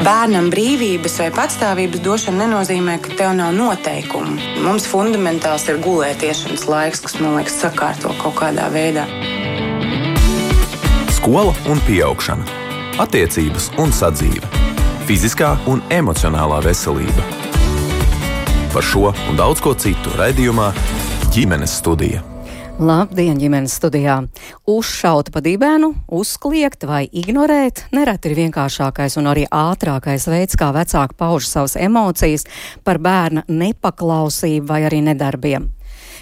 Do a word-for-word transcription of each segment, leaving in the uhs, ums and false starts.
Bērnam brīvības vai patstāvības došana nenozīmē, ka tev nav noteikumu. Mums fundamentāls ir gulētiešanas laiks, kas, man liekas, sakārto kaut kādā veidā. Skola un pieaugšana, attiecības un sadzīve, fiziskā un emocionālā veselība. Par šo un daudz ko citu raidījumā Ģimenes studija. Labdien, ģimenes studijā! Uzšaut pa dibenu, uzkliegt vai ignorēt nereti ir vienkāršākais un arī ātrākais veids, kā vecāki pauž savas emocijas par bērna nepaklausību vai arī nedarbiem.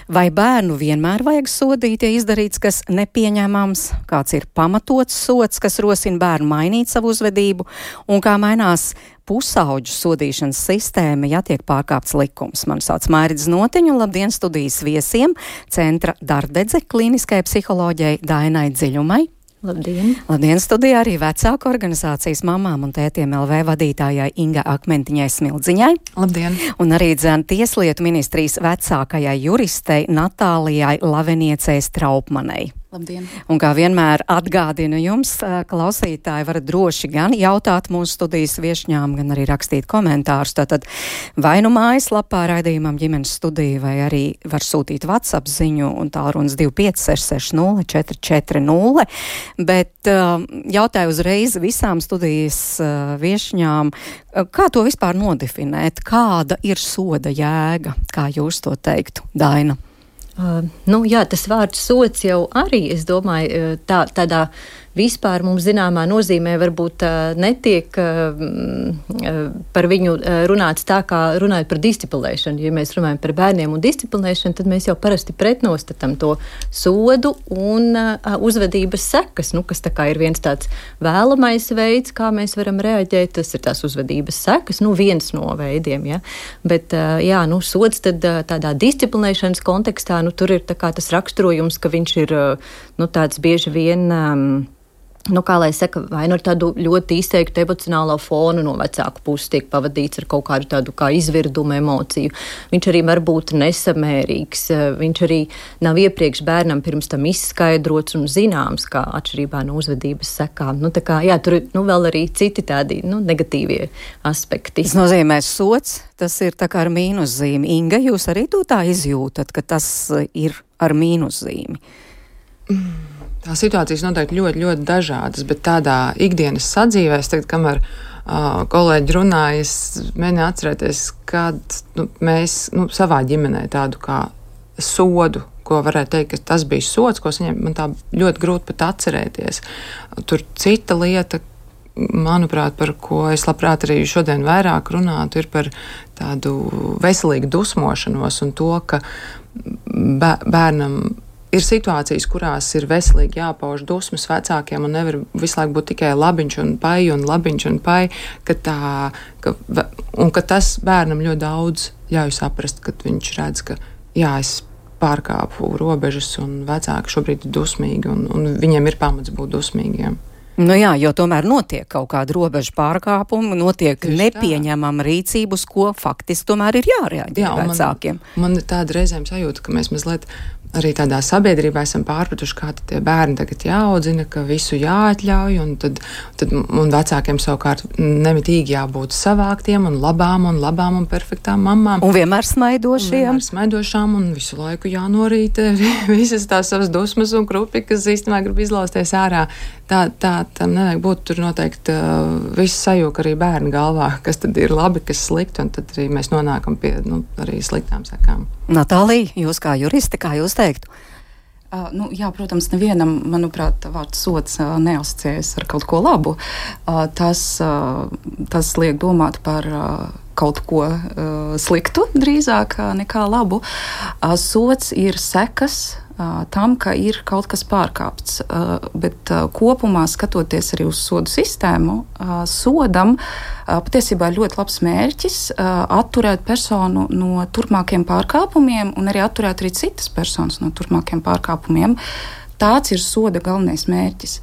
Vai bērnu vienmēr vajag sodīt, ja izdarīts kas nepieņemams, kāds ir pamatots sods, kas rosina bērnu mainīt savu uzvedību, un kā mainās pusauģu sodīšanas sistēma, ja tiek pārkāpts likums. Man sauc Mairidze Notiņa, labdien studijas viesiem, centra Dardedze klīniskai psiholoģijai Dainai Dziļumai. Labdien! Labdien, studijā arī vecāku organizācijas mamām un tētiem L V vadītājai Inga Akmentiņai Smildziņai. Labdien! Un arī dzēn Tieslietu ministrijas vecākajai juristei Natālijai Laveniecei Straupmanei. Labdien! Un kā vienmēr atgādinu jums, klausītāji, varat droši gan jautāt mūsu studijas viešņām, gan arī rakstīt komentārus. Tātad vai nu mājaslapā raidījumam Ģimenes studija, vai arī var sūtīt WhatsApp ziņu un tālrunis divi pieci seši seši nulle četri četri nulle. Bet uh, jautāju uzreiz visām studijas uh, viešņām, uh, kā to vispār nodefinēt? Kāda ir soda jēga? Kā jūs to teiktu, Daina? Uh, nu, jā, tas vārds sods jau arī, es domāju, tā, tādā vispār mums zināmā nozīmē varbūt uh, netiek uh, uh, par viņu uh, runāts tā, kā runājot par disciplinēšanu. Ja mēs runājam par bērniem un disciplinēšanu, tad mēs jau parasti pretnostatam to sodu un uh, uzvedības sekas, nu, kas tā kā ir viens tāds vēlamais veids, kā mēs varam reaģēt. Tas ir tās uzvedības sekas, nu, viens no veidiem, ja. Bet, uh, jā, nu, sods tad uh, tādā disciplinēšanas kontekstā, nu, tur ir tā kā tas raksturojums, ka viņš ir, uh, nu, tāds bieži vien... Um, Nu, kā lai saka, vai nu ar tādu ļoti izteiktu emocionālo fonu no vecāku puses tiek pavadīts ar kaut kādu tādu kā izvirdumu emociju. Viņš arī var būt nesamērīgs, viņš arī nav iepriekš bērnam pirms tam izskaidrots un zināms, kā atšķirībā no uzvedības sekām. Nu, tā kā, jā, tur ir nu, vēl arī citi tādi nu, negatīvie aspekti. Tas nozīmē sods, tas ir tā kā ar mīnuszīmi. Inga, jūs arī to tā izjūtat, ka tas ir ar mīnuszīmi? Mm. Tās situācijas noteikti ļoti, ļoti dažādas, bet tādā ikdienas sadzīvē, es tagad, kamēr uh, kolēģi runāja, es mēģināju atcerēties, kad nu, mēs nu, savā ģimenē tādu kā sodu, ko varētu teikt, ka tas bija sods, ko saņem, man tā ļoti grūti pat atcerēties. Tur cita lieta, manuprāt, par ko es labprāt arī šodien vairāk runātu, ir par tādu veselīgu dusmošanos un to, ka bērnam ir situācijas, kurās ir veselīgi jāpauž dusmas vecākiem un nevar visu laiku būt tikai labiņš un pai un labiņš un pai, ka tā, ka, un ka tas bērnam ļoti daudz ļauj saprast, ka viņš redz, ka jā, es pārkāpu robežas un vecāki šobrīd ir dusmīgi un, un viņiem ir pamats būt dusmīgiem. Nu jā, jo tomēr notiek kaut kāda robeža pārkāpuma, notiek Tieši nepieņemama tā. Rīcība, uz ko faktiski tomēr ir jārēģē jā, vecākiem. Man, man ir tāda reizēm sajūta, ka mēs mazliet arī tādā sabiedrībā esam pārpratuši, kā tie bērni tagad jāaudzina, ka visu jāatļauj, un tad, tad un vecākiem savukārt nemitīgi jābūt savāktiem un labām un labām un perfektām mamām. Un vienmēr smaidošiem. Un vienmēr smaidošām un visu laiku jānorīt visas tās savas dusmas un krupi, kas īstenībā grib izlausties ārā. Tā, tā tam nevajag būt, tur noteikti uh, viss sajūka arī bērnu galvā, kas tad ir labi, kas slikti, un tad arī mēs nonākam pie nu, arī sliktām sekām. Natālija, jūs kā juristi, kā jūs teiktu? Uh, nu, jā, protams, nevienam, manuprāt, vārds sods uh, neasociējas ar kaut ko labu. Uh, tas, uh, tas liek domāt par uh, kaut ko uh, sliktu drīzāk uh, nekā labu. Uh, sods ir sekas uh, tam, ka ir kaut kas pārkāpts. Uh, bet uh, kopumā, skatoties arī uz sodu sistēmu, uh, sodam uh, patiesībā ir ļoti labs mērķis uh, atturēt personu no turpmākiem pārkāpumiem un arī atturēt arī citas personas no turpmākiem pārkāpumiem. Tāds ir soda galvenais mērķis.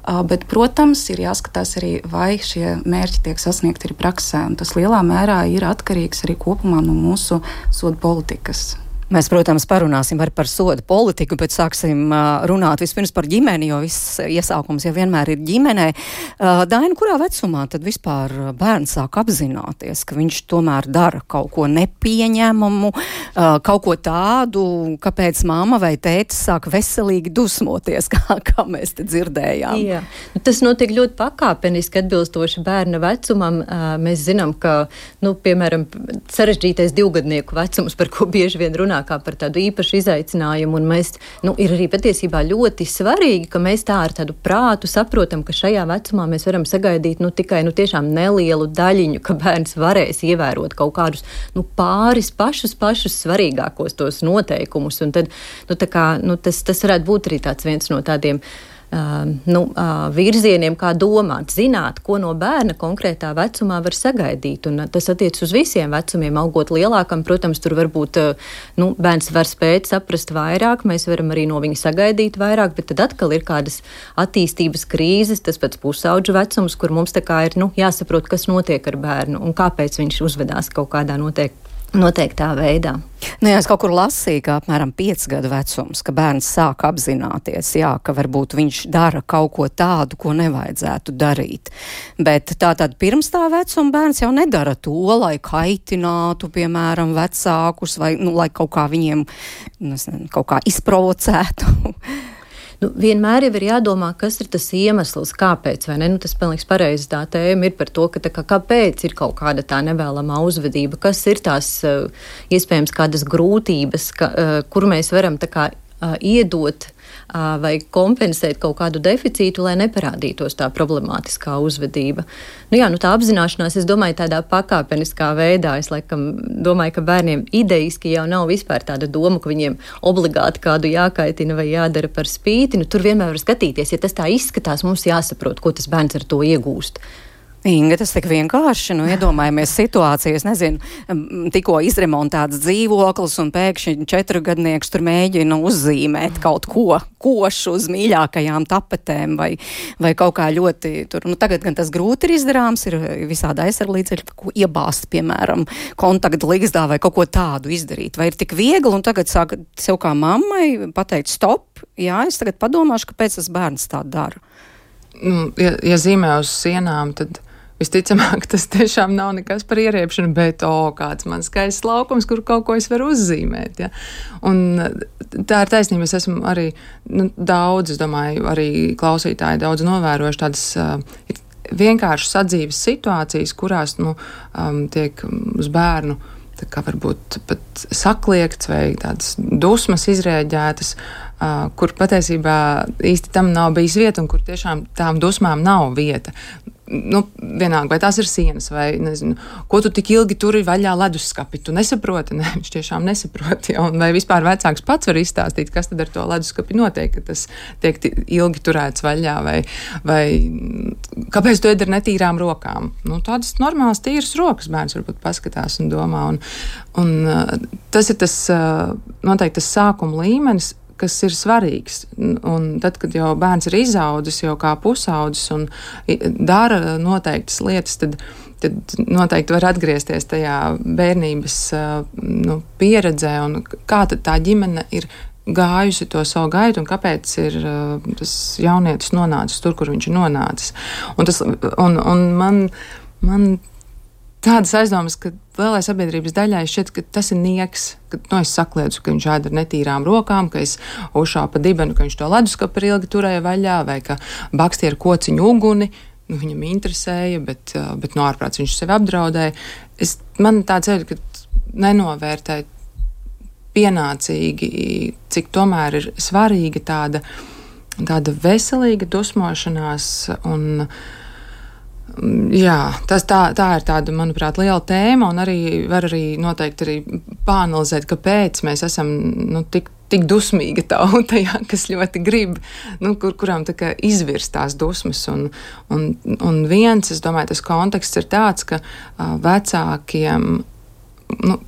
Uh, bet, protams, ir jāskatās arī, vai šie mērķi tiek sasniegti arī praksē. Un tas lielā mērā ir atkarīgs arī kopumā no mūsu soda politikas. Mēs, protams, parunāsim arī par sodu politiku, bet sāksim uh, runāt vispirms par ģimeni, jo viss iesaukums jau vienmēr ir ģimenē. Uh, Daina, kurā vecumā tad vispār bērns sāk apzināties, ka viņš tomēr dara kaut ko nepieņemamu, uh, kaut ko tādu, kāpēc mamma vai tētis sāk veselīgi dusmoties, kā, kā mēs te dzirdējām? Jā, nu, tas notiek ļoti pakāpeniski atbilstoši bērna vecumam. Uh, mēs zinām, ka, nu, piemēram, sarežģītais divgadnieku vecums, par ko bieži vien runā, kā par tādu īpašu izaicinājumu, un mēs, nu, ir arī patiesībā ļoti svarīgi, ka mēs tā ar tādu prātu saprotam, ka šajā vecumā mēs varam sagaidīt, nu, tikai, nu, tiešām nelielu daļiņu, ka bērns varēs ievērot kaut kādus, nu, pāris pašus, pašus svarīgākos tos noteikumus, un tad, nu, tā kā, nu, tas, tas varētu būt arī tāds viens no tādiem Uh, nu, uh, virzieniem, kā domāt, zināt, ko no bērna konkrētā vecumā var sagaidīt. Un, uh, tas attiec uz visiem vecumiem. Augot lielākam, protams, tur varbūt uh, nu, bērns var spēt saprast vairāk, mēs varam arī no viņa sagaidīt vairāk, bet tad atkal ir kādas attīstības krīzes, tas pats pusauģu vecums, kur mums tā kā ir nu, jāsaprot, kas notiek ar bērnu un kāpēc viņš uzvedās kaut kādā noteikti. Noteiktā veidā. Nu, jā, es kaut kur lasīju, ka apmēram piec gadu vecums, ka bērns sāk apzināties, jā, ka varbūt viņš dara kaut ko tādu, ko nevajadzētu darīt. Bet tātad pirms tā vecuma bērns jau nedara to, lai kaitinātu, piemēram, vecākus, vai, nu, lai kaut kā viņiem, nezinu, kaut kā izprovocētu. Nu, vienmēr jau ir jādomā, kas ir tas iemesls, kāpēc, vai ne? Nu, tas pilnīgs pareizi tā tēma ir par to, ka tā kā, kāpēc ir kaut kāda tā nevēlamā uzvedība, kas ir tās uh, iespējams kādas grūtības, ka, uh, kur mēs varam tā kā uh, iedot uh, vai kompensēt kaut kādu deficītu, lai neparādītos tā problemātiskā uzvedība. Nu jā, nu tā apzināšanās, es domāju, tādā pakāpeniskā veidā, es laikam domāju, ka bērniem ideiski jau nav vispār tāda doma, ka viņiem obligāti kādu jākaitina vai jādara par spīti. Nu, tur vienmēr var skatīties, ja tas tā izskatās, mums jāsaprot, ko tas bērns ar to iegūst. Inga, tas tik vienkārši, nu, iedomājamies situāciju, es nezinu, tikko izremontēts dzīvoklis un pēkšņi četrgadnieks tur mēģina uzzīmēt kaut ko košu uz mīļākajām tapetēm vai, vai kaut kā ļoti tur, nu, tagad gan tas grūti ir izdarāms, ir visādi aizsarglīdzekļi, ko iebāzt, piemēram, kontaktu ligzdā vai kaut ko tādu izdarīt, vai ir tik viegli un tagad sāk sev kā mammai pateikt stop, jā, es tagad padomāšu, kāpēc tas bērns tā dara. Nu, ja, ja zīmē uz sienām, tad visticamāk, tas tiešām nav nekas par ieriepšanu, bet, o, kāds man skaists laukums, kur kaut ko es varu uzzīmēt, ja. Un tā ir taisnība, es esmu arī, nu, daudz, es domāju, arī klausītāji daudz novērojuši tādas uh, vienkāršas sadzīves situācijas, kurās, nu, um, tiek uz bērnu tā kā varbūt pat sakliekts vai tādas dusmas izrēģētas, uh, kur patiesībā īsti tam nav bijis vieta un kur tiešām tām dusmām nav vieta. Nu, vienalga, vai tās ir sienas, vai, nezinu, ko tu tik ilgi turi vaļā leduskapi, tu nesaproti, ne, viņš tiešām nesaproti, ja, un vai vispār vecāks pats var izstāstīt, kas tad ar to leduskapi notiek, ka tas tiek ilgi turēts vaļā, vai, vai kāpēc tu ēd ar netīrām rokām. Nu, tādas normālas tīras rokas bērns varbūt paskatās un domā, un, un tas ir tas, noteikti tas sākuma līmenis, kas ir svarīgs. Un tad, kad jau bērns ir izaudzis, jau kā pusaudzis un dara noteiktas lietas, tad, tad noteikti var atgriezties tajā bērnības nu, pieredzē un kā tad tā ģimene ir gājusi to savu gaitu un kāpēc ir uh, tas jaunietis nonācis tur, kur viņš ir nonācis. Un, tas, un, un man, man tādas aizdomas, ka lielai sabiedrības daļai šķiet, ka tas ir nieks, ka nu, es sakliedzu, ka viņš ēd ar netīrām rokām, ka es uzšāpu pa dibenu, ka viņš to leduskapi ilgi turēja vaļā, vai ka baksti ar kociņu uguni, nu, viņam interesēja, bet, bet no ārprāts viņš sevi apdraudēja. Es, man tā ceļa, ka nenovērtēju pienācīgi, cik tomēr ir svarīga tāda, tāda veselīga dusmošanās un jā, tas tā, tā ir tāda, manuprāt, liela tēma, un arī var arī noteikti arī pāanalizēt, kāpēc mēs esam nu, tik, tik dusmīga tauta, jā, kas ļoti grib, nu, kur, kurām tā kā izvirst tās dusmas. Un, un, un viens, es domāju, tas konteksts ir tāds, ka uh, vecākiem nu,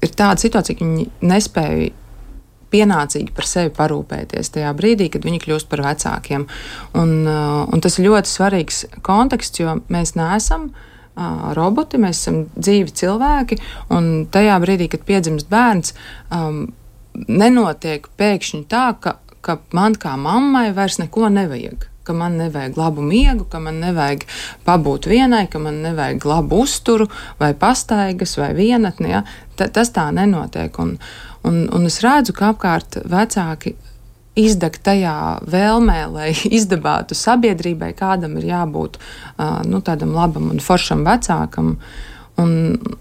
ir tāda situācija, ka viņi nespēja pienācīgi par sevi parūpēties tajā brīdī, kad viņi kļūst par vecākiem. Un, uh, un tas ir ļoti svarīgs konteksts, jo mēs neesam uh, roboti, mēs esam dzīvi cilvēki, un tajā brīdī, kad piedzimst bērns, um, nenotiek pēkšņi tā, ka, ka man kā mammai vairs neko nevajag. Ka man nevajag labu miegu, ka man nevajag pabūt vienai, ka man nevajag labu uzturu vai pastaigas vai vienatni. Ja? Ta, tas tā nenotiek. Un, un, un es redzu, ka apkārt vecāki izdeg tajā vēlmē, lai izdabātu sabiedrībai, kādam ir jābūt uh, nu, tādam labam un foršam vecākam. Un,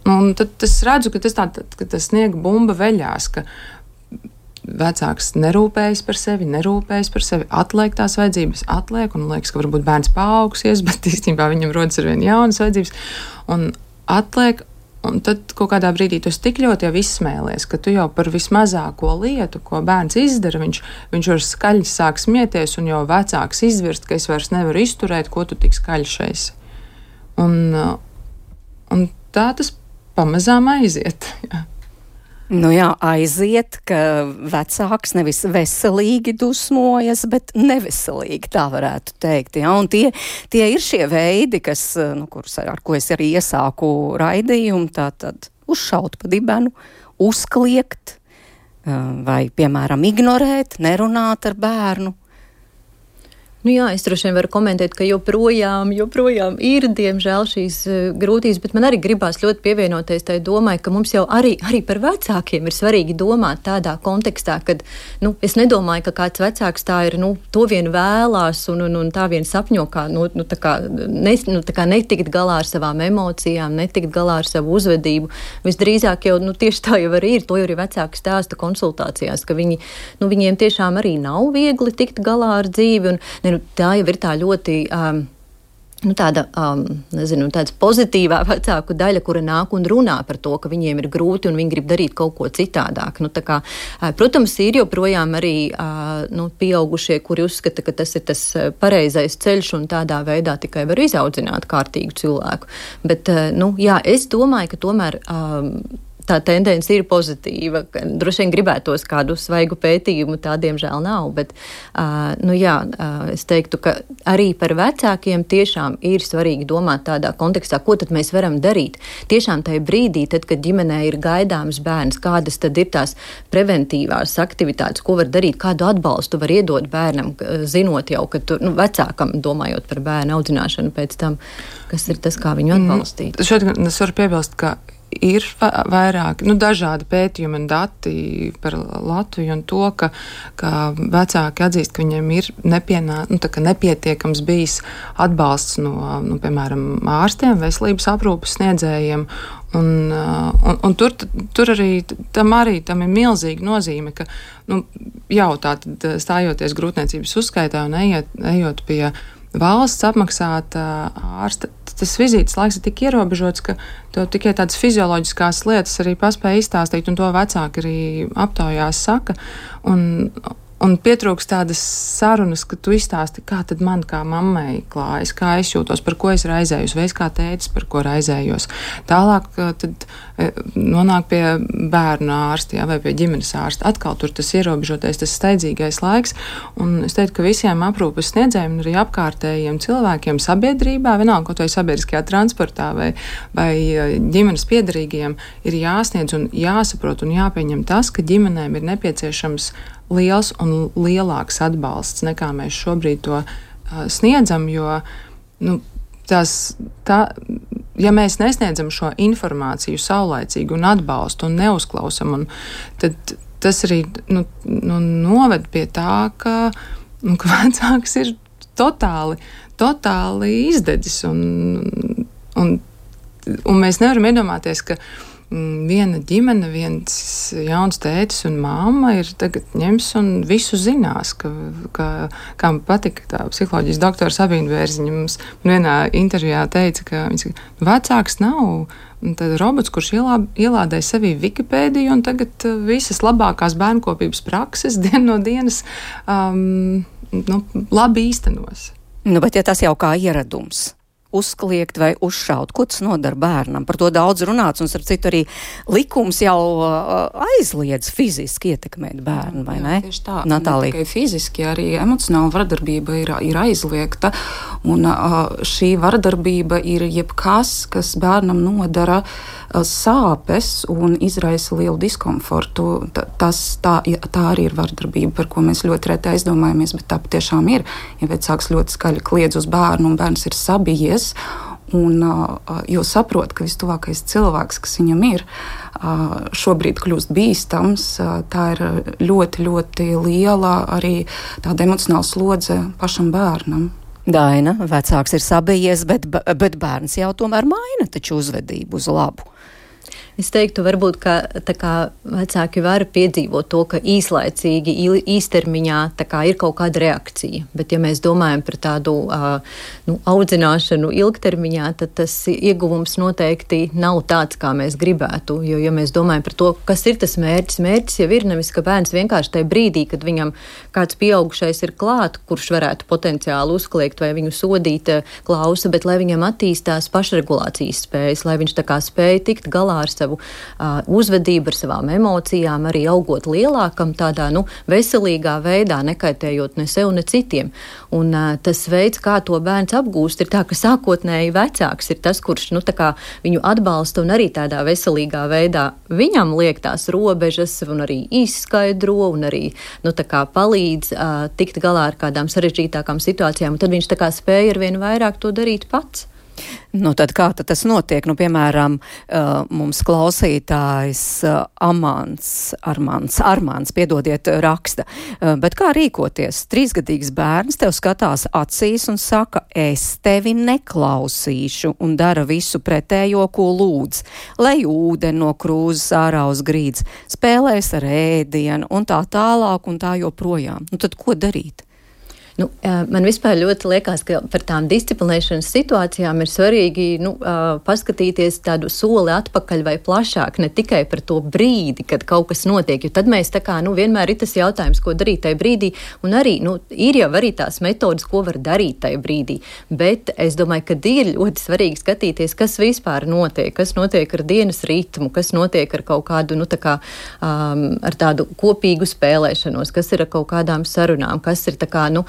un tad es redzu, ka tas, tā, ka tas sniega bumba veļās, ka vecāks nerūpējas par sevi, nerūpējas par sevi, atliek tās vajadzības, atliek, un liekas, ka varbūt bērns paaugsies, bet īstenībā viņam rodas ar vien jaunas vajadzības, un atliek, un tad kaut kādā brīdī tu tik ļoti jau izsmēlies, ka tu jau par vismazāko lietu, ko bērns izdara, viņš, viņš var skaļi sāk smieties, un jau vecāks izvirst, ka es vairs nevaru izturēt, ko tu tik skaļš esi. Un, un tā tas pamazām aiziet, jā. Nu jā, aiziet, ka vecāks nevis veselīgi dusmojas, bet neveselīgi, tā varētu teikt. Ja? Un tie, tie ir šie veidi, kas, nu, kurus, ar ko es arī iesāku raidījumu, tā tad uzšaut pa dibenu, uzkliegt vai, piemēram, ignorēt, nerunāt ar bērnu. Nu jā, es droši vien varu komentēt, ka joprojām, joprojām ir, diemžēl, šīs uh, grūtības, bet man arī gribās ļoti pievienoties tai domai, ka mums jau arī, arī par vecākiem ir svarīgi domāt tādā kontekstā, kad, nu, es nedomāju, ka kāds vecāks tā ir, nu, to vien vēlās un, un, un tā vien sapņo, kā, nu, nu, tā kā, ne, nu, tā kā netikt galā ar savām emocijām, netikt galā ar savu uzvedību. Visdrīzāk jau, nu, tieši tā jau arī ir, to jau arī vecāki stāsta konsultācijās, ka viņi, nu, viņiem tiešām arī nav viegli tikt galā ar dzīvi un, ne, tā jau ir tā ļoti um, nu, tāda, um, nezinu, tāds pozitīvā vecāku daļa, kura nāk un runā par to, ka viņiem ir grūti un viņi grib darīt kaut ko citādāk. Nu, tā kā, uh, protams, ir joprojām arī uh, nu, pieaugušie, kuri uzskata, ka tas ir tas pareizais ceļš un tādā veidā tikai var izaudzināt kārtīgu cilvēku. Bet, uh, nu, jā, es domāju, ka tomēr um, tā tendence ir pozitīva. Droši vien gribētos kādu svaigu pētījumu, tā diemžēl nav, bet uh, nu jā, uh, es teiktu, ka arī par vecākiem tiešām ir svarīgi domāt tādā kontekstā, ko tad mēs varam darīt. Tiešām tajā brīdī, tad, kad ģimenē ir gaidāms bērns, kādas tad ir tās preventīvās aktivitātes, ko var darīt, kādu atbalstu var iedot bērnam, zinot jau, ka tu, nu, vecākam, domājot par bērnu audzināšanu pēc tam, kas ir tas, kā viņu atbalstīt. Mm, šeit es varu piebilst, ka ir vairāk, nu, dažādi pētījumi un dati par Latviju un to, ka, ka vecāki atzīst, ka viņiem ir nepienā, nu, tā, ka nepietiekams bijis atbalsts no, nu, piemēram, ārstiem, veselības aprūpes sniedzējiem. Un, un, un tur, tur arī tam, arī tam ir milzīga nozīme, ka nu, jau tā tad stājoties grūtniecības uzskaitā un ejot, ejot pie valsts apmaksāta ārsta, tas vizītes laiks ir tik ierobežots, ka tev tikai tādas fizioloģiskās lietas arī paspēja izstāstīt, un to vecāki arī aptaujās saka. Un, un pietrūkst tādas sarunas, ka tu izstāsti, kā tad man kā mammai klājas, kā es jūtos, par ko es raizējos, vai es kā tētis, par ko raizējos. Tālāk tad nonāk pie bērnu ārsta, jā, vai pie ģimenes ārsta. Atkal tur tas ierobežotais, tas steidzīgais laiks, un es teiktu, ka visiem aprūpes sniedzējiem un arī apkārtējiem cilvēkiem sabiedrībā, vienalga kaut vai sabiedriskajā transportā vai, vai ģimenes piedarīgajiem, ir jāsniedz un jāsaprot un jāpieņem tas, ka ģimenēm ir nepieciešams liels un lielāks atbalsts, nekā mēs šobrīd to uh, sniedzam, jo nu, tās, tā, ja mēs nesniedzam šo informāciju saulaicīgi un atbalstu un neuzklausam, un, tad tas arī nu, nu, noved pie tā, ka, nu, ka vecāks ir totāli, totāli izdedzis, un, un, un mēs nevaram iedomāties, ka viena ģimene, viens jauns tētis un mamma ir tagad ņems un visu zinās, ka, ka kā man patika tā psiholoģijas doktora Sabīna Bērziņa mums vienā intervijā teica, ka viņš vecāks nav tad robots, kurš ielā, ielādē sevī Wikipēdiju un tagad visas labākās bērnkopības prakses dien no dienas um, nu, labi īstenos. Nu, bet ja tas jau kā ieradums uzkliegt vai uzšaut. Ko tas nodara bērnam? Par to daudz runāts, un starp citu arī likums jau uh, aizliedz fiziski ietekmēt bērnu, vai jā, ne? Tieši tā. Natālija. Ne tikai fiziski, arī emocionāla vardarbība ir, ir aizliegta, un uh, šī vardarbība ir jebkas, kas bērnam nodara uh, sāpes un izraisa lielu diskomfortu. Ta, tas, tā, tā arī ir vardarbība, par ko mēs ļoti reti aizdomājamies, bet tā patiešām ir. Ja vecāks ļoti skaļi kliedz uz bērnu un bērns ir sabijies, un uh, jo saprot, ka vistuvākais cilvēks, kas viņam ir, uh, šobrīd kļūst bīstams, uh, tā ir ļoti, ļoti liela arī tāda emocionāla slodze pašam bērnam. Daina, vecāks ir sabijies, bet, bet bērns jau tomēr maina taču uzvedību uz labu. Es teiktu, varbūt, ka tā kā vecāki var piedzīvot to, ka īslaicīgi, īstermiņā tā kā ir kaut kāda reakcija. Bet, ja mēs domājam par tādu uh, nu, audzināšanu ilgtermiņā, tad tas ieguvums noteikti nav tāds, kā mēs gribētu. Jo, ja mēs domājam par to, kas ir tas mērķis, mērķis jau ir nevis, ka bērns vienkārši tajā brīdī, kad viņam kāds pieaugušais ir klāt, kurš varētu potenciāli uzkliegt vai viņu sodīt, klausa, bet lai viņam attīstās pašregulācijas spējas, lai viņš tā kā spēja tikt galā ar savu Uh, uzvedību, ar savām emocijām, arī augot lielākam tādā, nu, veselīgā veidā, nekaitējot ne sev, ne citiem. Un uh, tas veids, kā to bērns apgūst, ir tā, ka sākotnēji vecāks ir tas, kurš, nu, tā kā viņu atbalsta un arī tādā veselīgā veidā viņam liek tās robežas un arī izskaidro un arī, nu, tā kā palīdz uh, tikt galā ar kādām sarežģītākām situācijām, un tad viņš tā kā spēja arvien vairāk to darīt pats. Nu, tad kā tad tas notiek? Nu, piemēram, uh, mums klausītājs uh, Amants, Armāns, Armāns, piedodiet, raksta. Uh, bet kā rīkoties? Trīsgadīgs bērns tev skatās acīs un saka, es tevi neklausīšu, un dara visu pretējo, ko lūdz. Lej ūdeni no krūzes ārā uz grīdas, spēlēs ar ēdienu un tā tālāk un tā joprojām. Nu, tad ko darīt? Nu, man vispār ļoti liekas, ka par tām disciplinēšanas situācijām ir svarīgi nu, paskatīties tādu soli atpakaļ vai plašāk, ne tikai par to brīdi, kad kaut kas notiek, jo tad mēs tā kā, nu, vienmēr ir tas jautājums, ko darīt tajā brīdī, un arī, nu, ir jau arī tās metodas, ko var darīt tajā brīdī, bet es domāju, ka ir ļoti svarīgi skatīties, kas vispār notiek, kas notiek ar dienas ritmu, kas notiek ar kaut kādu, nu, tā kā, um, ar tādu kopīgu spēlēšanos, kas ir ar kaut kādām sarunām, kas ir tā kā, nu,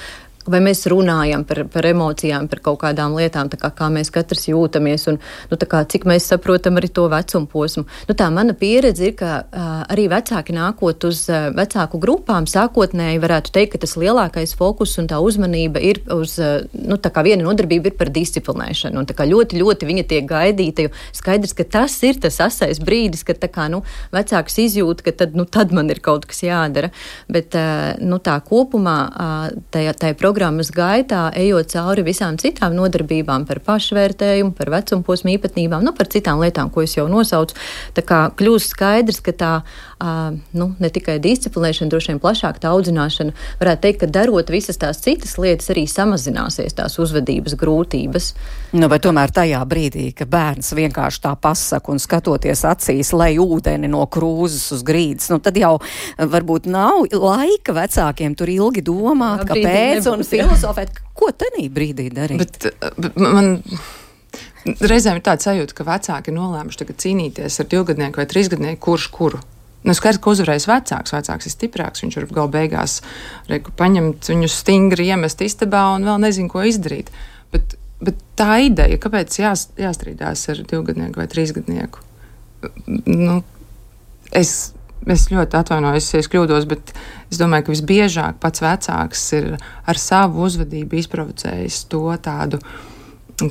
vai mēs runājam par, par emocijām, par kaut kādām lietām, tā kā, kā mēs katrs jūtamies un nu, tā kā, cik mēs saprotam arī to vecumu posmu. Nu, tā mana pieredze ir, ka uh, arī vecāki nākot uz uh, vecāku grupām, sākotnēji varētu teikt, ka tas lielākais fokus un tā uzmanība ir uz, uh, nu, tā kā viena nodarbība ir par disciplinēšanu. Un tā kā ļoti, ļoti viņa tiek gaidīta, jo skaidrs, ka tas ir tas asais brīdis, kad tā kā, nu, vecāks izjūt, ka tad, nu, tad man ir kaut kas jādara. Bet, uh, nu, tā kopumā uh, tajā, tajā programmā programmas gaitā, ejot cauri visām citām nodarbībām par pašvērtējumu, par vecumposmu īpatnībām, nu par citām lietām, ko es jau nosaucu, tā kā kļūst skaidrs, ka tā, uh, nu, ne tikai disciplinēšana, droši vien plašāk tā audzināšana, varētu teikt, ka darot visas tās citas lietas, arī samazināsies tās uzvedības grūtības. Nu, bet tomēr tajā brīdī, ka bērns vienkārši tā pasaka un skatoties acīs, lej ūdeni no krūzes uz grīdas, nu tad jau varbūt nav laika vecākiem tur ilgi domāt, kāpēc un filozofēt, ko tenī brīdī darīt. Bet, bet man reizēm ir tāds sajūta, ka vecāki ir nolēmuši tagad cīnīties ar divgadnieku vai trīsgadnieku, kurš kuru. Nu, skaidrs, ka uzvarēs vecāks, vecāks ir stiprāks, viņš var gal beigās reiku paņemt viņu stingri, iemest istabā un vēl nezinu, ko izdarīt. Bet, bet tā ideja, kāpēc jās, jāstrīdās ar divgadnieku vai trīsgadnieku? Nu, es... Es ļoti atvainojos, ja es kļūdos, bet es domāju, ka visbiežāk pats vecāks ir ar savu uzvedību izprovocējis to tādu,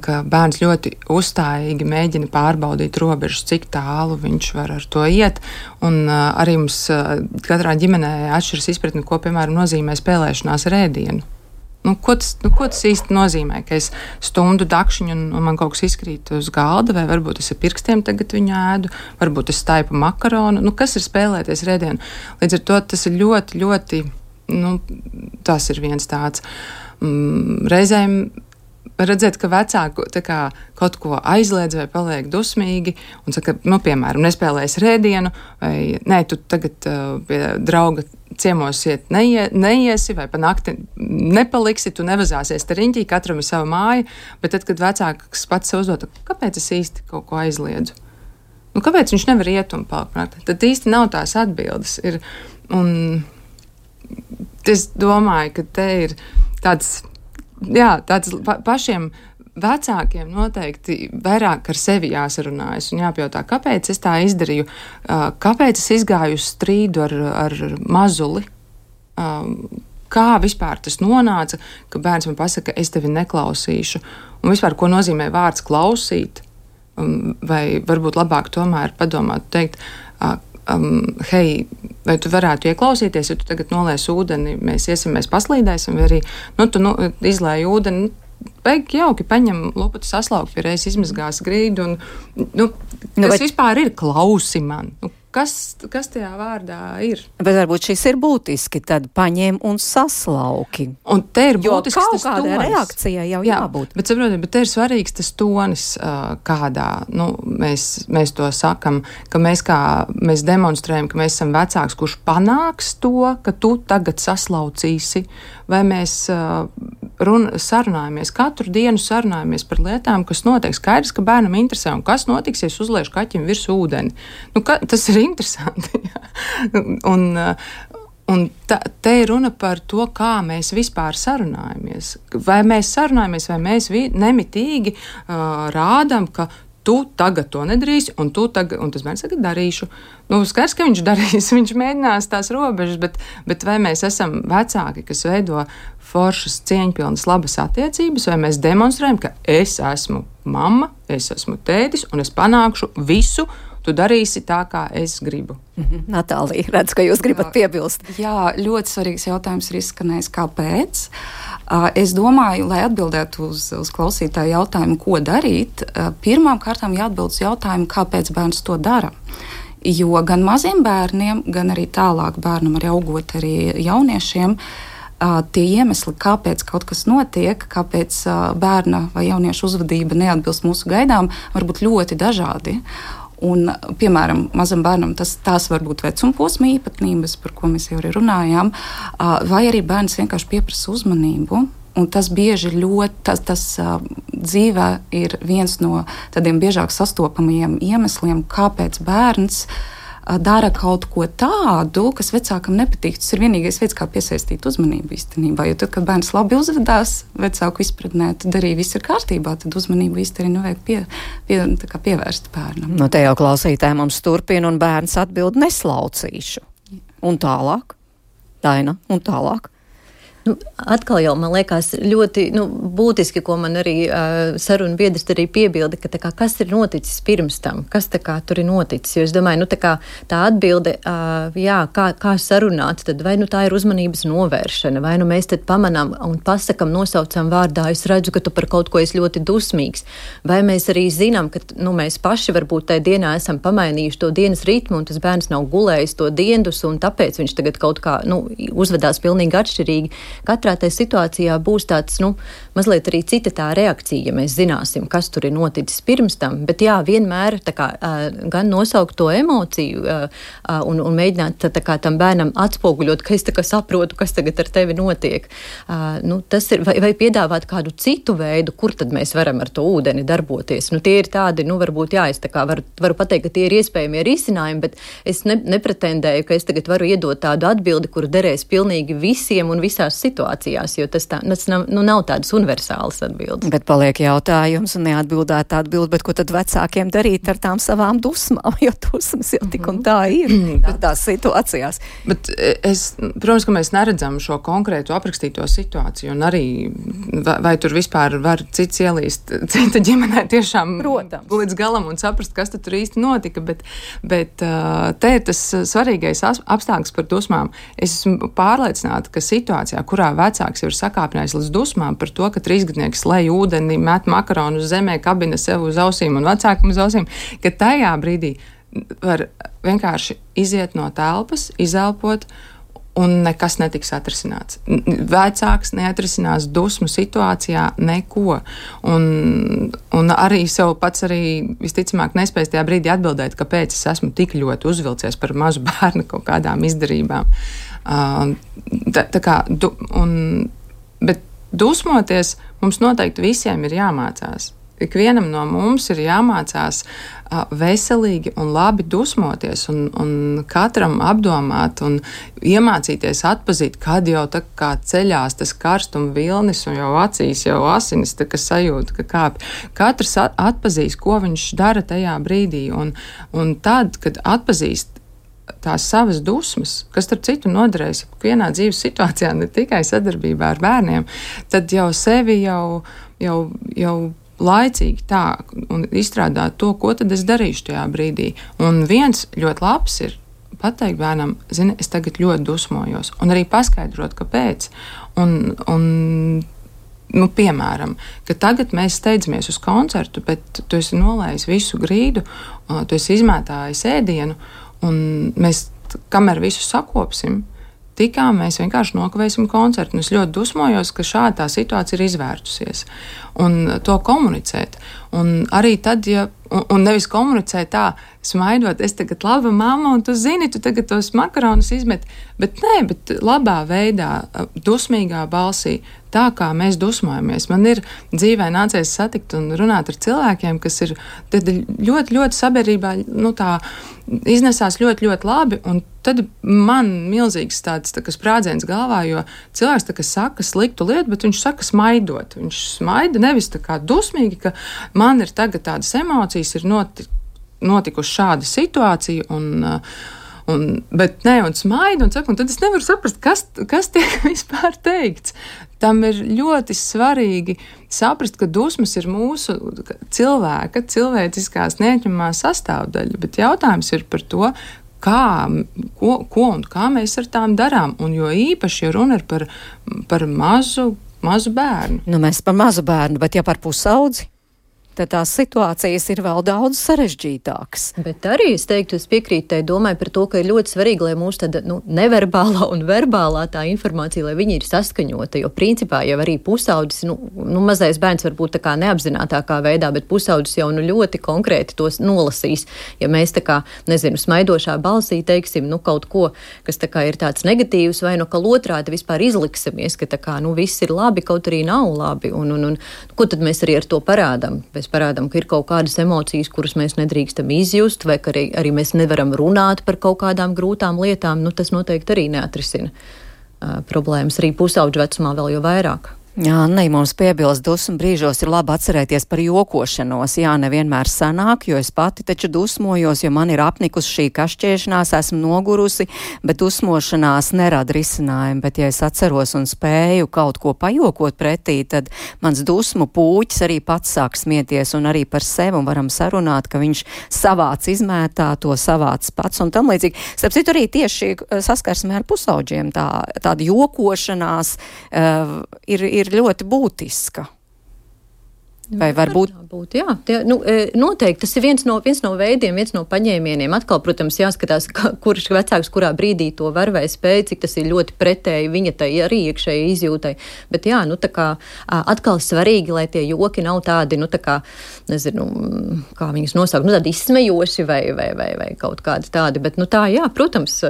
ka bērns ļoti uzstājīgi mēģina pārbaudīt robežas, cik tālu viņš var ar to iet. Un uh, arī mums uh, katrā ģimenē atšķiras izpratni, ko, piemēram, nozīmē spēlēšanās ar ēdienu. Nu, ko, tas, nu, ko tas īsti nozīmē? Ka es stundu dakšiņu un, un man kaut kas izkrīt uz galda, vai varbūt es ar pirkstiem tagad viņu ēdu, varbūt es staipu makaronu. Nu, kas ir spēlēties ar ēdienu? Līdz ar to tas ir ļoti, ļoti, nu, tas ir viens tāds. Mm, reizēm redzēt, ka vecāku tā kā kaut ko aizliedz vai paliek dusmīgi un saka, nu, piemēram, nespēlēs ar ēdienu, vai nē, tu tagad uh, pie drauga ciemos iet neie, neiesi, vai pa nakti nepaliksi, tu nevazāsies te riņķī, katram ir sava māja, bet tad, kad vecāks pats sev uzdod, kāpēc es īsti kaut ko aizliedzu? Nu, kāpēc viņš nevar iet un palikt? Tad īsti nav tās atbildes. Ir, un es domāju, ka te ir tāds, jā, tāds pa, pašiem vecākiem noteikti vairāk ar sevi jāsarunājas un jāpajautā, kāpēc es tā izdarīju, kāpēc es izgāju uz strīdu ar, ar mazuli, kā vispār tas nonāca, ka bērns man pasaka, es tevi neklausīšu, un vispār, ko nozīmē vārds klausīt. Vai varbūt labāk tomēr padomāt, teikt, um, hei, vai tu varētu ieklausīties, ja tu tagad nolies ūdeni, mēs iesim, mēs paslīdēsim, vai arī, nu, tu nu, izlēji ūdeni, beig jauki paņem lupatu saslaukt, pie reizes izmazgās grīdu, un, nu, kas nu, vai... vispār ir klausi man? Nu, Kas, kas tajā vārdā ir? Bet varbūt šis ir būtiski, tad paņem un saslauki. Un te ir būtisks jo tas tonis. Jo kaut kādai reakcijai jau Jā, jābūt. Bet, saprotiet, bet te ir svarīgs tas tonis, kādā, nu, mēs, mēs to sakam, ka mēs kā, mēs demonstrējam, ka mēs esam vecāks, kurš panāks to, ka tu tagad saslaucīsi, vai mēs run, sarunājamies, katru dienu sarunājamies par lietām, kas notiek. Skaidrs, ka bērnam interesē, un kas notiks, ja es uzliešu kaķim virs ūdeni. Nu, ka, tas ir interesanti. un, un ta, te ir runa par to, kā mēs vispār sarunājamies. Vai mēs sarunājamies, vai mēs vi, nemitīgi uh, rādam, ka tu tagad to nedarīsi, un, tu tagad, un tas bērns tagad darīšu. Nu, skaidrs, ka viņš darīs, viņš mēģinās tās robežas, bet, bet vai mēs esam vecāki, kas veido foršas, cieņpilnas, labas attiecības, vai mēs demonstrējam, ka es esmu mamma, es esmu tētis, un es panākšu visu, tu darīsi tā, kā es gribu. Mm-hmm. Natālija, redz, ka jūs gribat jā, piebilst. Jā, ļoti svarīgs jautājums ir izskanējis, kāpēc. Uh, es domāju, lai atbildētu uz, uz klausītāju jautājumu, ko darīt, uh, pirmām kārtām jāatbild uz jautājumu, kāpēc bērns to dara. Jo gan maziem bērniem, gan arī tālāk bērnam, arī augot arī jauniešiem, uh, tie iemesli, kāpēc kaut kas notiek, kāpēc uh, bērna vai jauniešu uzvedība neatbilst mūsu gaidām, var būt ļoti dažādi. Un, piemēram, mazam bērnam tas, tās var būt vecumposma īpatnības, par ko mēs jau arī runājām, vai arī bērns vienkārši pieprasa uzmanību. Un tas bieži ļoti, tas, tas dzīvē ir viens no tādiem biežāk sastopamajiem iemesliem, kāpēc bērns dara kaut ko tādu, kas vecākam nepatīk. Tas ir vienīgais veids, kā piesaistīt uzmanību īstenībā. Jo tad, kad bērns labi uzvedās, vecāku izpratnē, tad arī viss ir kārtībā, tad uzmanību īsti arī nevajag pie, pie, tā kā pievērst bērnam. No te jau klausītāji mums turpina, un bērns atbild neslaucīšu. Un tālāk, Daina, un tālāk. Nu, atkal jau man liekas ļoti nu, būtiski, ko man arī uh, saruna biedrs arī piebilda, ka tā kā, kas ir noticis pirms tam, kas tā kā tur ir noticis. Jo es domāju, nu, tā, kā, tā atbilde, uh, jā, kā, kā sarunāt, tad vai nu tā ir uzmanības novēršana, vai nu mēs tad pamanām un pasakam, nosaucam vārdā, es redzu, ka tu par kaut ko esi ļoti dusmīgs, vai mēs arī zinām, ka nu, mēs paši varbūt tajā dienā esam pamainījuši to dienas ritmu, un tas bērns nav gulējis to diendus, un tāpēc viņš tagad kaut kā nu, uzvedās pilnīgi atšķirīgi. Katrā tajā situācijā būs tāds, nu, mazliet arī cita tā reakcija, ja mēs zināsim, kas tur ir noticis pirms tam, bet jā, vienmēr tā kā gan nosaukt to emociju un, un mēģināt tā kā tam bērnam atspoguļot, ka es tā kā saprotu, kas tagad ar tevi notiek. Nu, tas ir, vai, vai piedāvāt kādu citu veidu, kur tad mēs varam ar to ūdeni darboties. Nu, tie ir tādi, nu, varbūt, jā, es tā kā varu, varu pateikt, ka tie ir iespējamie risinājumi, bet es ne, nepretendēju, ka es tagad varu iedot tādu atbildi, kuru derēs pilnīgi visiem un visās situācijās, jo tas, tā, tas nav, nu, nav tādas universālas atbildes. Bet paliek jautājums un neatbildēt atbildi, bet ko tad vecākiem darīt ar tām savām dusmām, jo dusmas jau tik un tā ir tās situācijās. Bet es, protams, ka mēs neredzam šo konkrētu aprakstīto situāciju un arī vai, vai tur vispār var cits ielīst cita ģimenē tiešām Protams. Līdz galam un saprast, kas tur īsti notika, bet, bet te ir tas svarīgais apstākļs par dusmām. Es esmu pārliecināta, ka situācijā, kurā vecāks jau ir sakāpinājis līdz dusmām par to, ka trīsgadnieks lej ūdeni, met makaronu uz zemē, kabina sev uz ausīm un vecākam uz ausīm, ka tajā brīdī var vienkārši iziet no telpas, izelpot un nekas netiks atrisināts. Vecāks neatrisinās dusmu situācijā neko. Un, un arī sev pats arī visticamāk nespējas tajā brīdī atbildēt, kāpēc es esmu tik ļoti uzvilcies par mazu bērnu kaut kādām izdarībām. Tā, tā kā, du, un, bet dusmoties mums noteikti visiem ir jāmācās. Ikvienam no mums ir jāmācās uh, veselīgi un labi dusmoties un, un katram apdomāt un iemācīties atpazīt, kad jau tā kā ceļās tas karstuma vilnis un jau acīs jau asinis tā kā sajūta, ka kāp. Katrs at, atpazīs, ko viņš dara tajā brīdī un, un tad, kad atpazīst tās savas dusmas, kas starp citu noderēs ikvienā dzīves situācijā, ne tikai sadarbībā ar bērniem, tad jau sevi jau, jau, jau laicīgi tā un izstrādāt to, ko tad es darīšu tajā brīdī. Un viens ļoti labs ir pateikt bērnam, zini, es tagad ļoti dusmojos, un arī paskaidrot, kāpēc. Un, un nu, piemēram, ka tagad mēs steidzamies uz koncertu, bet tu esi nolējis visu grīdu, tu esi izmētājis ēdienu, un mēs, kamēr visu sakopsim, tikām mēs vienkārši nokavēsim koncertu. Un es ļoti dusmojos, ka šāda tā situācija ir izvērtusies. Un to komunicēt. Un arī tad, ja, un, un nevis komunicēt tā, smaidot, es tagad laba mamma, un tu zini, tu tagad tos makaronus izmet, bet nē, bet labā veidā, dusmīgā balsī, tā kā mēs dusmojamies. Man ir dzīvē nācies satikt un runāt ar cilvēkiem, kas ir ļoti, ļoti sabiedrībā, nu tā, iznesās ļoti, ļoti labi, un tad man milzīgs tāds tā kā sprādziens galvā, jo cilvēks tā kā saka sliktu lietu, bet viņš saka smaidot. Viņš smaida nevis tā kā dusmīgi, ka man ir tagad tādas emocijas, ir noti, notikuši šāda situācija, un, un, bet ne, un smaida, un saka, un tad es nevaru saprast, kas, kas tiek vispār teikts. Tam ir ļoti svarīgi saprast, ka dusmas ir mūsu cilvēka, cilvēciskās neatņemamā sastāvdaļa, bet jautājums ir par to, kā, ko, ko un kā mēs ar tām darām, un jo īpaši, ja runa ir par, par mazu, mazu bērnu. Nu, mēs par mazu bērnu, bet ja par pusaudzi? Tad tās situācijas ir vēl daudz sarežģītākas. Bet arī es teiktu, es piekrītu tai domai par to, ka ir ļoti svarīgi, lai mūsu tāda nu, neverbālā un verbālā tā informācija, lai viņi ir saskaņota, jo principā jau arī pusaudzis, nu, nu mazais bērns varbūt tā kā neapzinātākā veidā, bet pusaudzis jau nu ļoti konkrēti tos nolasīs. Ja mēs tā kā, nezinu, smaidošā balsī teiksim, nu kaut ko, kas tā kā ir tāds negatīvs, vai no kā otrādi vispār izliksimies, ka tā kā, nu viss ir labi, kaut arī nav labi, un, un, un ko tad mēs arī ar to parādām? Mēs parādām, ka ir kaut kādas emocijas, kuras mēs nedrīkstam izjust, vai ka arī, arī mēs nevaram runāt par kaut kādām grūtām lietām, nu tas noteikti arī neatrisina uh, problēmas. Arī pusauģu vecumā vēl jau vairāk. Jā, ne, mums piebilst, dusmu brīžos ir labi atcerēties par jokošanos. Jā, nevienmēr sanāk, jo es pati taču dusmojos, jo man ir apnikusi šī kašķēšanās, esmu nogurusi, bet dusmošanās nerada risinājumu. Bet ja es atceros un spēju kaut ko pajokot pretī, tad mans dusmu pūķis arī pats sāk smieties un arī par sevi un varam sarunāt, ka viņš savāc izmētā, to savāc pats un tam līdzīgi. Starp citu arī tieši saskarsmē ar pusauģiem tā, tāda jokošanās uh, ir, ir ir ļoti būtiska. Vai varbūt? Būt, jā, tie, nu, noteikti tas ir viens no, viens no veidiem, viens no paņēmieniem. Atkal, protams, jāskatās, kurš vecāks kurā brīdī to var vai spēj, cik tas ir ļoti pretēji viņa tai arī iekšēji izjūtai. Bet jā, nu tā kā atkal svarīgi, lai tie joki nav tādi, nu tā kā, nezinu, kā viņus nosaukt, nu tādi izsmejoši vai, vai, vai, vai kaut kādi tādi. Bet nu tā, jā, protams,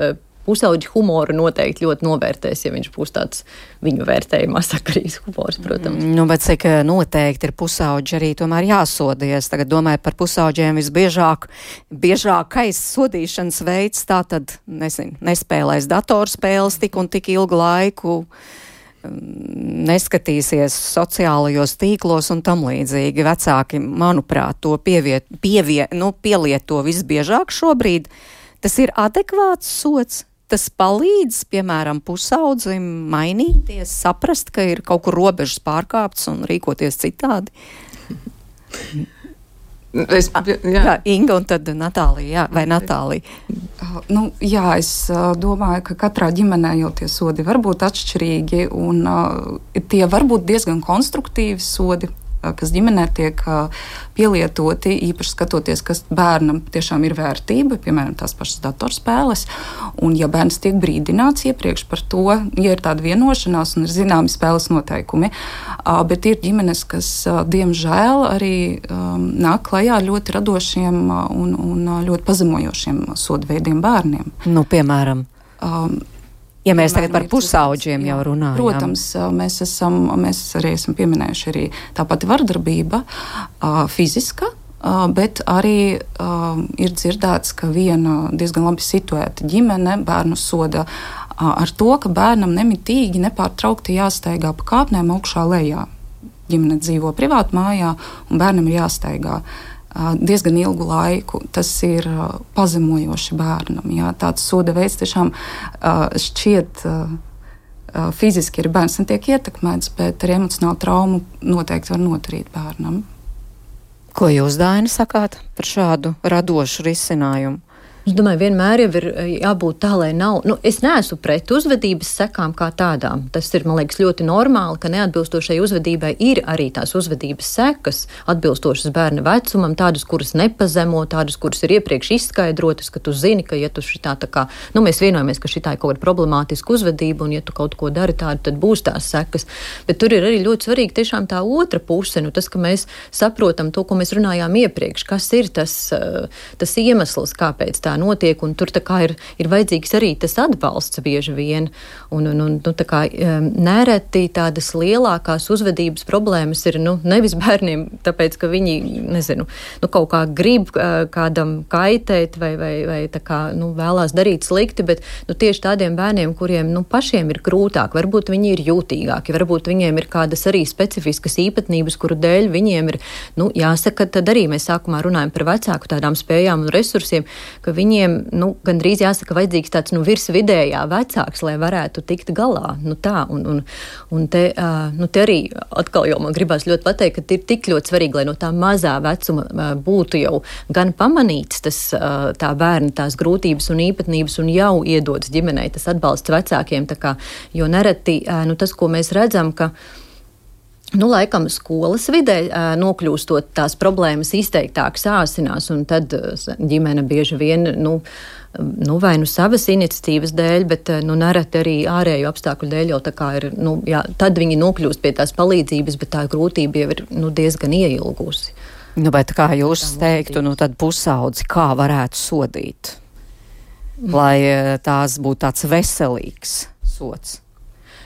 pusauģi humoru noteikti ļoti novērtēs, ja viņš būs tāds viņu vērtējumā sakarīgs humors, protams. Nu, bet cik noteikti ir pusauģi arī tomēr jāsodies. Tagad domāju par pusauģiem visbiežāk, biežākais sodīšanas veids, tā tad, nezinu, nespēlēs datorspēles tik un tik ilgu laiku, neskatīsies sociālajos tīklos un tam līdzīgi. Vecāki, manuprāt, to pieviet, pievie, nu, pielieto visbiežāk šobrīd. Tas ir adekvāts sots. Tas palīdz, piemēram, pusaudzim mainīties, saprast, ka ir kaut kur robežas pārkāptas un rīkoties citādi. Es, jā. jā, Inga un tad Natālija, jā, vai Natālija? Uh, nu, jā, es uh, domāju, ka katrā ģimenē jau tie sodi var būt atšķirīgi un uh, tie var būt diezgan konstruktīvi sodi, kas ģimenē tiek pielietoti, īpaši skatoties, kas bērnam tiešām ir vērtība, piemēram, tās pašas datorspēles. Un ja bērns tiek brīdināts iepriekš par to, ja ir tāda vienošanās un ir zināmi spēles noteikumi, bet ir ģimenes, kas, diemžēl, arī nāk klajā ļoti radošiem un, un ļoti pazemojošiem sodveidiem bērniem. Nu, piemēram? Um, Ja mēs tagad par pusauģiem jau runājam. Protams, mēs, esam, mēs arī esam pieminējuši arī tā pati vardarbība, fiziska, bet arī ir dzirdēts, ka viena diezgan labi situēta ģimene bērnu soda ar to, ka bērnam nemitīgi, nepārtraukti jāstaigā pa kāpnēm augšā lejā. Ģimene dzīvo privātu mājā un bērnam ir jāstaigā diezgan ilgu laiku. Tas ir pazemojoši bērnam. Jā. Tāds soda veids tiešām šķiet fiziski ir bērns netiek ietekmēts, bet ar emocionālu traumu noteikti var noturīt bērnam. Ko jūs, Daina, sakāt par šādu radošu risinājumu? Es domāju, vienmēr jau ir jābūt tā, lai nav. Nu, es neesmu pret uzvedības sekām kā tādām. Tas ir, man liekas, ļoti normāli, ka neatbilstošai uzvedībai ir arī tās uzvedības sekas, atbilstošas bērna vecumam, tādas, kuras nepazemo, tādas, kuras ir iepriekš izskaidrotas, ka tu zini, ka, ja tu šitā tā kā, nu, mēs vienojamies, ka šitā ir kaut kāda problemātiska uzvedība, un ja tu kaut ko dari tādu, tad būs tās sekas. Bet tur ir arī ļoti svarīgi tiešām tā otra puse, nu, tas, ka mēs saprotam to, ko mēs runājām iepriekš, kas ir tas, tas iemesls, kāpēc tā notiek, un tur tā kā ir, ir vajadzīgs arī tas atbalsts bieži vien. Un, un, un nu, tā kā nereti tādas lielākās uzvedības problēmas ir, nu, nevis bērniem, tāpēc, ka viņi, nezinu, nu, kaut kā grib kādam kaitēt vai, vai, vai tā kā, nu, vēlās darīt slikti, bet, nu, tieši tādiem bērniem, kuriem, nu, pašiem ir grūtāk, varbūt viņi ir jūtīgāki, varbūt viņiem ir kādas arī specifiskas īpatnības, kuru dēļ viņiem ir, nu, jāsaka, tad arī mēs sākumā runājam par vecāku tādām spējām un resursiem, ka viņiem, nu, gandrīz jāsaka, vajadzīgs tāds, nu, virsvidējā vecāks, lai varētu tikt galā. Nu, tā, un, un, un te, uh, nu, te arī atkal jau man gribās ļoti pateikt, ka ir tik ļoti svarīgi, lai no tā mazā vecuma uh, būtu jau gan pamanīts tas, uh, tā bērna tās grūtības un īpatnības un jau iedodas ģimenei tas atbalsts vecākiem, tā kā, jo nereti, uh, nu, tas, ko mēs redzam, ka Nu, laikam skolas vidē nokļūstot tās problēmas izteiktāk sāsinās, un tad ģimene bieži vien, nu, nu vai nu savas iniciatīvas dēļ, bet, nu, nereti arī ārēju apstākļu dēļ jau tā kā ir, nu, jā, tad viņi nokļūst pie tās palīdzības, bet tā grūtība jau ir, nu, diezgan ieilgusi. Nu, bet kā jūs teiktu, nu, tad pusaudzi kā varētu sodīt, lai tās būtu tāds veselīgs sods?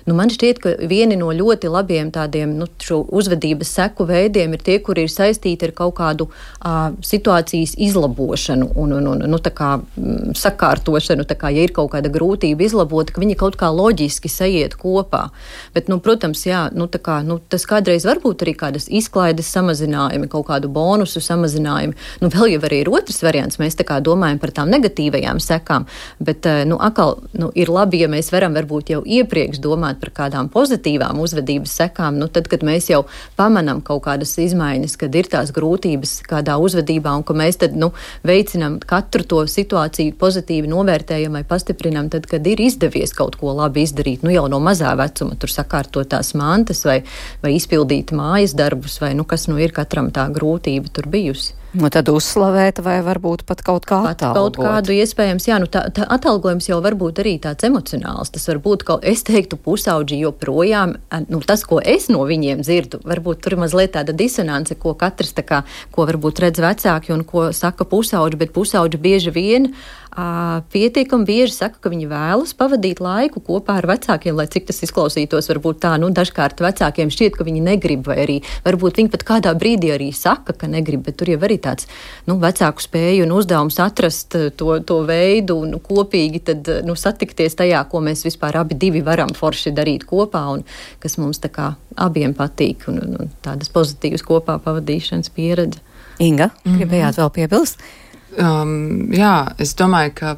Nu, man šķiet, ka vieni no ļoti labiem tādiem, nu, šo uzvedības seku veidiem ir tie, kuri ir saistīti ar kaut kādu uh, situācijas izlabošanu un, un, un nu, tā kā m, sakārtošanu, tā kā, ja ir kaut kāda grūtība izlabota, ka viņi kaut kā loģiski sajiet kopā. Bet, nu, protams, jā, nu, tā kā, nu, tas kādreiz varbūt arī kādas izklaides samazinājumi, kaut kādu bonusu samazinājumi. Nu, vēl jau arī ir otrs variants, mēs tā kā domājam par tām negatīvajām sekām, bet, uh, nu, atkal, nu, ir labi, ja mēs varam varbūt jau iepriekš domāt par kādām pozitīvām uzvedības sekām, nu tad, kad mēs jau pamanam kaut kādas izmaiņas, kad ir tās grūtības kādā uzvedībā un ka mēs tad, nu, veicinam katru to situāciju pozitīvi novērtējam vai pastiprinam, tad, kad ir izdevies kaut ko labi izdarīt, nu jau no mazā vecuma, tur sakārtot tās mantas vai, vai izpildīt mājas darbus vai, nu, kas nu ir katram tā grūtība tur bijusi. Nu, tad uzslavēt vai varbūt pat kaut kā pat atalgot. Kaut kādu iespējams, jā, nu tā, tā atalgojums jau var būt arī tāds emocionāls. Tas var būt, kaut, es teiktu, pusauģi joprojām, nu tas, ko es no viņiem dzirdu, varbūt tur ir mazliet tāda disonance, ko katrs tā kā, ko varbūt redz vecāki un ko saka pusauģi, bet pusauģi bieži vien Uh, pietiekami bieži saka, ka viņi vēlas pavadīt laiku kopā ar vecākiem, lai cik tas izklausītos, varbūt tā, nu, dažkārt vecākiem šķiet, ka viņi negrib, vai arī varbūt viņi pat kādā brīdī arī saka, ka negrib, bet tur jau arī tāds, nu, vecāku spēju un uzdevums atrast to, to veidu un kopīgi tad, nu, satikties tajā, ko mēs vispār abi divi varam forši darīt kopā un kas mums tā kā abiem patīk un, un, un tādas pozitīvas kopā pavadīšanas pieredze. Inga, gribējāt mm-hmm. vēl piebilst? Um, jā, es domāju, ka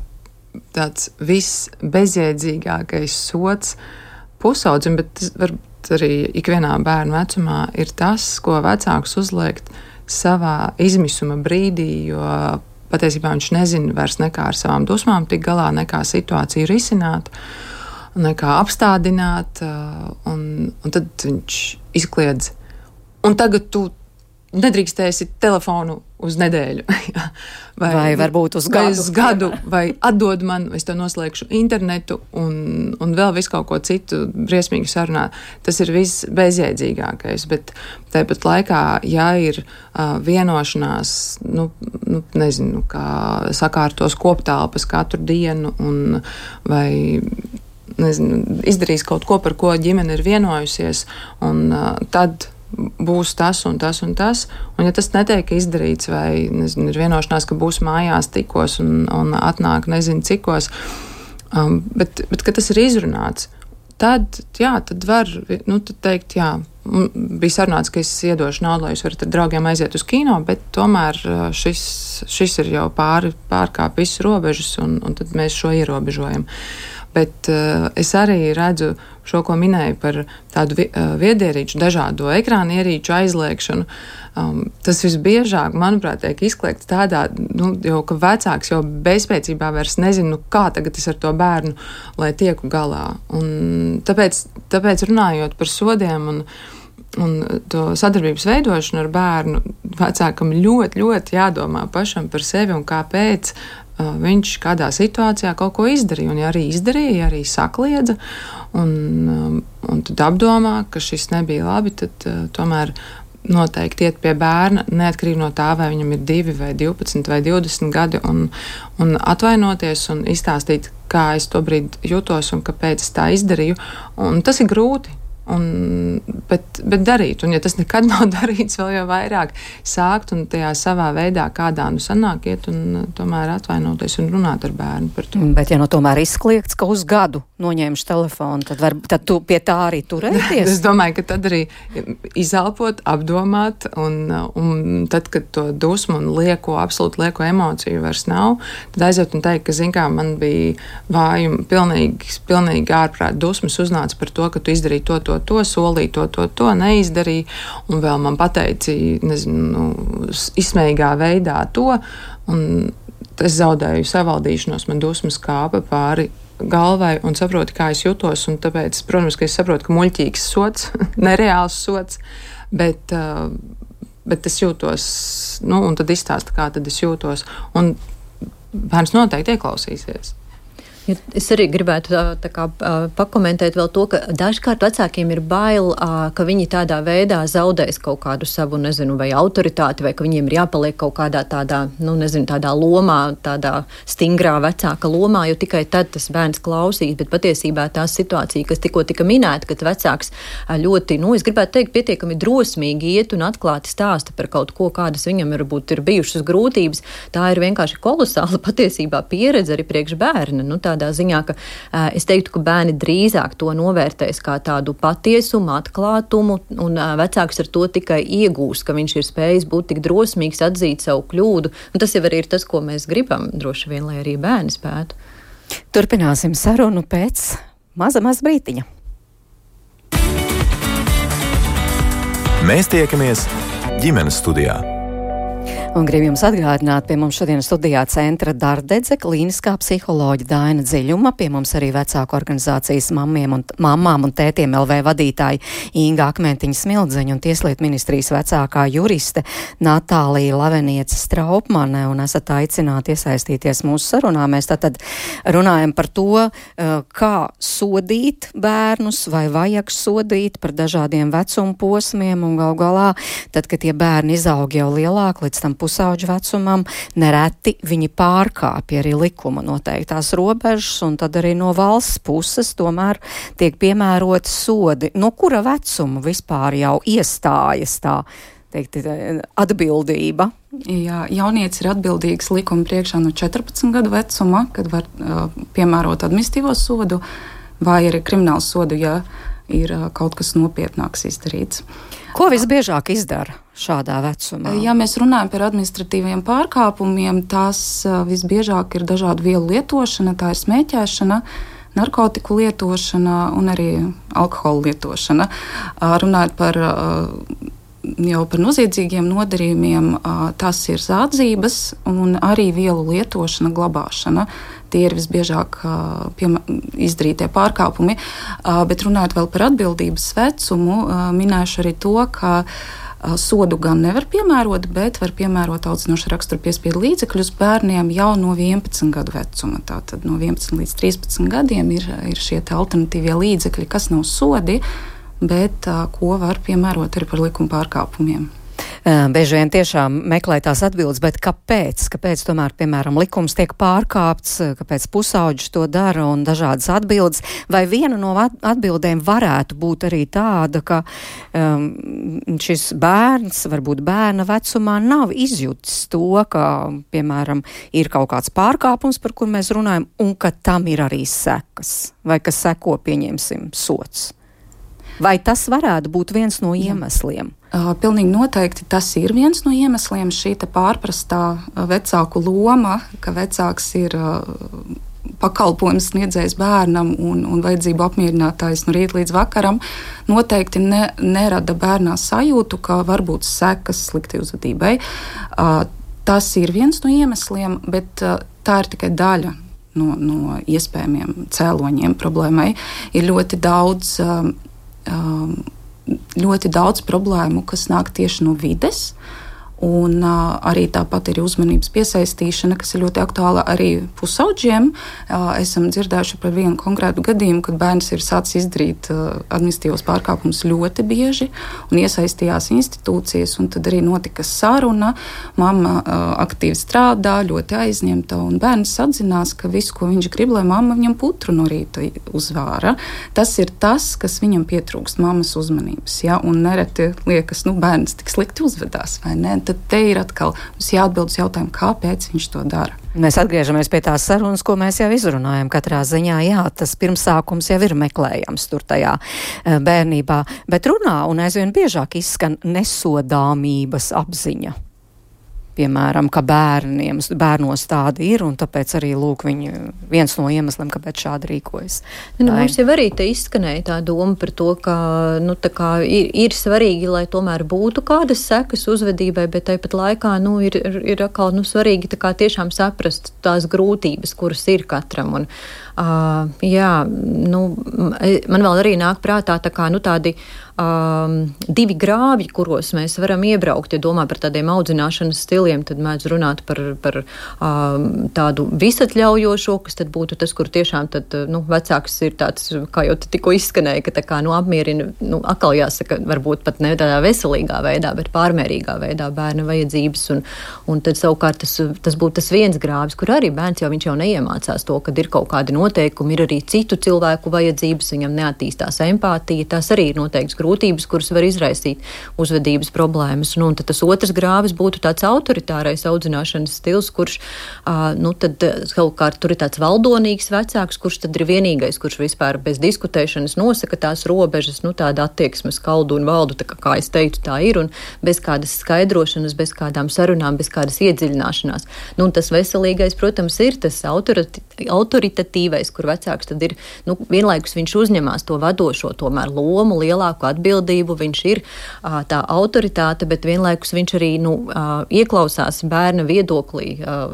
tāds visbezjēdzīgākais sods pusaudzim, bet varbūt arī ikvienā bērnu vecumā ir tas, ko vecāks uzliekt savā izmisuma brīdī, jo patiesībā viņš nezina vairs nekā ar savām dusmām tik galā, nekā situāciju risināt, nekā apstādināt, un, un tad viņš izkliedz. Un tagad tu nedrīkstēsi telefonu uz nedēļu. vai, vai varbūt uz gadu. Vai, uz gadu, vai atdod man, vai es to noslēgšu internetu un, un vēl visu kaut ko citu briesmīgi sarunā. Tas ir viss bezjēdzīgākais, bet tāpat laikā, ja ir uh, vienošanās, nu, nu, nezinu, kā sakārtos koptelpas katru dienu un vai nezinu, izdarīs kaut ko, par ko ģimene ir vienojusies, un uh, tad būs tas un tas un tas, un ja tas netiek izdarīts, vai, nezinu, ir vienošanās, ka būs mājās tikos un, un atnāk nezinu cikos, um, bet, bet, kad tas ir izrunāts, tad, jā, tad var, nu, tad teikt, jā, bija sarunāts, ka es iedošu naudu, lai jūs varat ar draugiem aiziet uz kino, bet tomēr šis, šis ir jau pāri, pārkāp visu robežas, un, un tad mēs šo ierobežojam. Bet uh, es arī redzu šo, ko minēju par tādu vi, uh, viedierīču, dažādo ekrāna ierīču aizliekšanu. Um, tas visbiežāk, manuprāt, tiek izkliegts tādā, nu, jau, ka vecāks jau bezspēcībā vairs nezinu, nu, kā tagad es ar to bērnu, lai tieku galā. Un tāpēc, tāpēc runājot par sodiem un, un to sadarbības veidošanu ar bērnu, vecākam ļoti, ļoti jādomā pašam par sevi un kāpēc viņš kādā situācijā kaut ko izdarīja, un ja arī izdarīja, ja arī sakliedza, un, un tad apdomā, ka šis nebija labi, tad uh, tomēr noteikti iet pie bērna, neatkarīgi no tā, vai viņam ir divi vai divpadsmit vai divdesmit gadi, un, un atvainoties un izstāstīt, kā es to brīdi jūtos un kāpēc es tā izdarīju, un tas ir grūti. Un, bet, bet darīt, un ja tas nekad nav darīts, vēl jau vairāk sākt un tajā savā veidā kādā nu sanāk iet un tomēr atvainoties un runāt ar bērnu par to. Bet ja nu tomēr izkliegts, ka uz gadu noņēmuši telefonu, tad, var, tad tu pie tā arī turēties? Es domāju, ka tad arī izelpot, apdomāt, un, un tad, kad to dusmu un lieko, absolūti lieko emociju vairs nav, tad aiziet un teikt, ka, zin kā, man bija vājumi, pilnīgi, pilnīgi ārprāt dusmas uznāca par to, ka tu izdarīji to, to, to, solīja to, to, to, neizdarīja, un vēl man pateici, nezinu, izsmējīgā veidā to, un es zaudēju savaldīšanos, man dusmas kāpa pāri galvai un saproti, kā es jutos, un tāpēc, protams, ka es saprotu, ka muļķīgs sots, nereāls sots, bet, uh, bet es jūtos, nu, un tad izstāsta, kā tad es jūtos, un bērns noteikti ieklausīsies. Es arī gribētu tā, tā kā, pakomentēt vēl to, ka dažkārt vecākiem ir bail, ka viņi tādā veidā zaudēs kaut kādu savu, nezinu, vai autoritāti, vai ka viņiem ir jāpaliek kaut kādā tādā, nu, nezinu, tādā lomā, tādā stingrā vecāka lomā, jo tikai tad tas bērns klausīs, bet patiesībā tā situācija, kas tikko tika minēta, kad vecāks ļoti, nu, es gribētu teikt, pietiekami drosmīgi iet un atklāti stāsta par kaut ko, kādas viņam varbūt ir bijušas grūtības, tā ir vienkārši kolosāla patiesībā pieredze arī priekš bērna, nu, tādā ziņā, ka uh, es teiktu, ka bērni drīzāk to novērtēs kā tādu patiesumu, atklātumu, un uh, vecāks ar to tikai iegūs, ka viņš ir spējis būt tik drosmīgs, atzīt savu kļūdu, un tas jau arī ir tas, ko mēs gribam, droši vien, lai arī bērni spētu. Turpināsim sarunu pēc maza, maza brītiņa. Mēs tiekamies ģimenes studijā. Un gribu jums atgādināt, pie mums šodien studijā centra Dardedze, klīniskā psiholoģa Daina Dziļuma, pie mums arī vecāku organizācijas mammiem un, mammām un tētiem L V vadītāji Inga Akmentiņa Smildzeņa un Tieslietu ministrijas vecākā juriste Natālija Laveniece Straupmane, un esat aicināti iesaistīties mūsu sarunā. Mēs tātad runājam par to, kā sodīt bērnus, vai vajag sodīt par dažādiem vecuma posmiem, un gal galā, tad, kad tie bērni izaug jau lielāk, līdz tam pusauģu vecumam, nereti viņi pārkāpja arī likuma noteiktās robežas, un tad arī no valsts puses tomēr tiek piemēroti sodi. No kura vecuma vispār jau iestājas tā, teikt, atbildība? Jā, jaunietis ir atbildīgs likuma priekšā no četrpadsmit gadu vecuma, kad var uh, piemērot administratīvo sodu, vai arī kriminālu sodu, ja ir uh, kaut kas nopietnāks izdarīts. Ko visbiežāk izdara šādā vecumā? Ja mēs runājam par administratīviem pārkāpumiem, tās uh, visbiežāk ir dažādu vielu lietošana, tā ir smēķēšana, narkotiku lietošana un arī alkohola lietošana. Uh, runājot par uh, jau par noziedzīgiem nodarījumiem, tas ir zādzības un arī vielu lietošana, glabāšana. Tie ir visbiežāk piemē, izdarītie pārkāpumi. Bet runājot vēl par atbildības vecumu, minēšu arī to, ka sodu gan nevar piemērot, bet var piemērot audzinoša rakstura piespiedu līdzekļus bērniem jau no vienpadsmit gadu vecuma. Tātad no vienpadsmit līdz trīspadsmit gadiem ir, ir šie alternatīvie līdzekļi, kas nav sodi, bet uh, ko var piemērot arī par likuma pārkāpumiem. Bieži vien tiešām meklē tās atbildes, bet kāpēc? Kāpēc tomēr, piemēram, likums tiek pārkāpts, kāpēc pusauģis to dara un dažādas atbildes? Vai viena no atbildēm varētu būt arī tāda, ka um, šis bērns, varbūt bērna vecumā, nav izjutis to, ka, piemēram, ir kaut kāds pārkāpums, par kur mēs runājam, un ka tam ir arī sekas, vai ka seko, pieņemsim, sots? Vai tas varētu būt viens no iemesliem? Uh, pilnīgi noteikti tas ir viens no iemesliem, šī te pārprastā vecāku loma, ka vecāks ir uh, pakalpojums sniedzējs bērnam un, un vajadzību apmierinātājs no rīta līdz vakaram, noteikti ne, nerada bērnā sajūtu, ka var būt sekas sliktai uzvedībai. Uh, tas ir viens no iemesliem, bet uh, tā ir tikai daļa no, no iespējamiem cēloņiem problēmai. Ir ļoti daudz um, Um, ļoti daudz problēmu, kas nāk tieši no vides, un uh, arī tāpat ir uzmanības piesaistīšana, kas ir ļoti aktuāla arī pusauģiem. Uh, esam dzirdējuši par vienu konkrētu gadījumu, kad bērns ir sācis izdarīt uh, administratīvos pārkāpumus ļoti bieži un iesaistījās institūcijas, un tad arī notika saruna. Mamma uh, aktīvi strādā, ļoti aizņemta, un bērns atzinās, ka visu, ko viņš grib, lai mamma viņam putru no rīta uzvāra. Tas ir tas, kas viņam pietrūkst, mammas uzmanības, ja? Un nereti liekas, nu, bērns tik slikti uzvedās, vai ne? Tad te ir atkal jāatbild uz jautājumu, kāpēc viņš to dara. Mēs atgriežamies pie tās sarunas, ko mēs jau izrunājam. Katrā ziņā, jā, tas pirmsākums jau ir meklējams tur tajā bērnībā, bet runā un aizvien biežāk izskan nesodāmības apziņa. Piemēram, ka bērniem, bērnos tāda ir, un tāpēc arī, lūk, viņi viens no iemesliem, kāpēc šādi rīkojas. Nu, mums jau arī te izskanēja tā doma par to, ka, nu, tā kā ir, ir svarīgi, lai tomēr būtu kādas sekas uzvedībai, bet tāpat laikā, nu, ir, ir, ir atkal, nu, svarīgi tā kā tiešām saprast tās grūtības, kuras ir katram, un, uh, jā, nu, man vēl arī nāk prātā tā kā, nu, tādi Um, divi grāvji, kuros mēs varam iebraukt, ja domā par tādiem audzināšanas stiliem, tad mēdz runāt par, par um, tādu visatļaujošo, kas tad būtu tas, kur tiešām tad, nu, vecāks ir tāds, kā jau tikko izskanēja, ka tā kā, nu, apmierina, nu, atkal jāsaka, varbūt pat ne tādā veselīgā veidā, bet pārmērīgā veidā bērna vajadzības, un, un tad savukārt tas, tas būtu tas viens grāvs, kur arī bērns jau, viņš jau neiemācās to, kad ir kaut kādi noteikumi, ir arī citu cilvēku vajadzības, viņam neattīstās empātija, tās arī ir noteikts grūtības, kuras var izraisīt uzvedības problēmas. Nu, un tad tas otrs grāvis būtu tāds autoritārais audzināšanas stils, kurš, uh, nu, tad savukārt tur ir tāds valdonīgs vecāks, kurš tad ir vienīgais, kurš vispār bez diskutēšanas nosaka tās robežas, nu, tāda attieksmes kaldu un valdu, tā kā, kā es teicu, tā ir, un bez kādas skaidrošanas, bez kādām sarunām, bez kādas iedziļināšanās. Nu, un tas veselīgais, protams, ir tas autoriti, autoritatīvais, kur vecāks tad ir, nu, vienlaikus viņš uzņemās to vadošo tomēr lomu, lielāku atbildību, viņš ir uh, tā autoritāte, bet vienlaikus viņš arī, nu, uh, ieklausās bērna viedoklī, uh,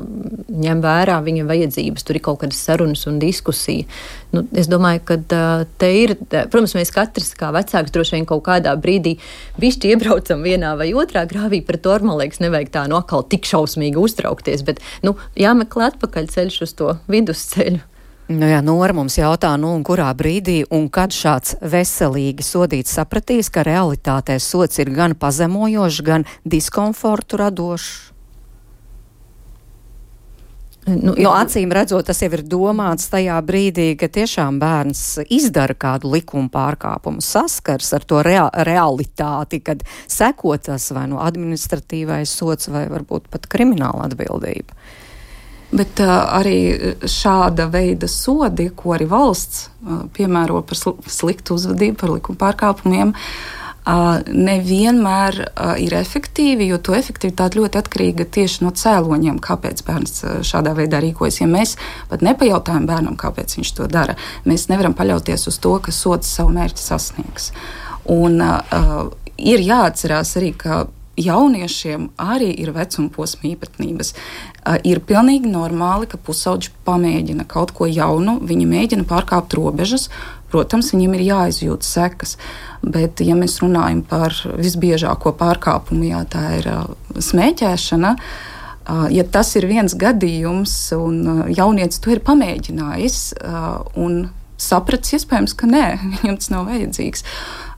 ņem vērā viņa vajadzības, tur ir kaut kādas sarunas un diskusija. Nu, es domāju, ka uh, te ir, protams, mēs katrs kā vecāks droši vien kaut kādā brīdī bišķi iebraucam vienā vai otrā grāvī, par to, man liekas, nevajag tā no atkal tik šausmīgi uztraukties, bet, nu, jāmeklē atpakaļ ceļš uz to vidusceļu. Nu jā, Nora mums jautā, nu un kurā brīdī un kad šāds veselīgi sodīts sapratīs, ka realitātē sots ir gan pazemojošs, gan diskomfortu radošs? Nu, jo acīm redzot, tas jau ir domāts tajā brīdī, ka tiešām bērns izdara kādu likuma pārkāpumu, saskars ar to rea realitāti, kad seko tas vai nu administratīvais sots vai varbūt pat krimināla atbildība. Bet uh, arī šāda veida sodi, ko arī valsts uh, piemēro par sl sliktu uzvedību, par likuma pārkāpumiem, uh, nevienmēr uh, ir efektīvi, jo to efektivitāte ļoti atkarīga tieši no cēloņiem, kāpēc bērns uh, šādā veidā rīkojas. Ja mēs pat nepajautājam bērnam, kāpēc viņš to dara, mēs nevaram paļauties uz to, ka sods savu mērķi sasniegs. Un uh, ir jāatcerās arī, ka jauniešiem arī ir vecuma posma īpatnības. Uh, ir pilnīgi normāli, ka pusauģi pamēģina kaut ko jaunu, viņi mēģina pārkāpt robežas, protams, viņiem ir jāizjūt sekas, bet ja mēs runājam par visbiežāko pārkāpumu, jā, tā ir uh, smēķēšana, uh, ja tas ir viens gadījums un uh, jaunietis to ir pamēģinājis uh, un sapratis iespējams, ka nē, viņam tas nav vajadzīgs,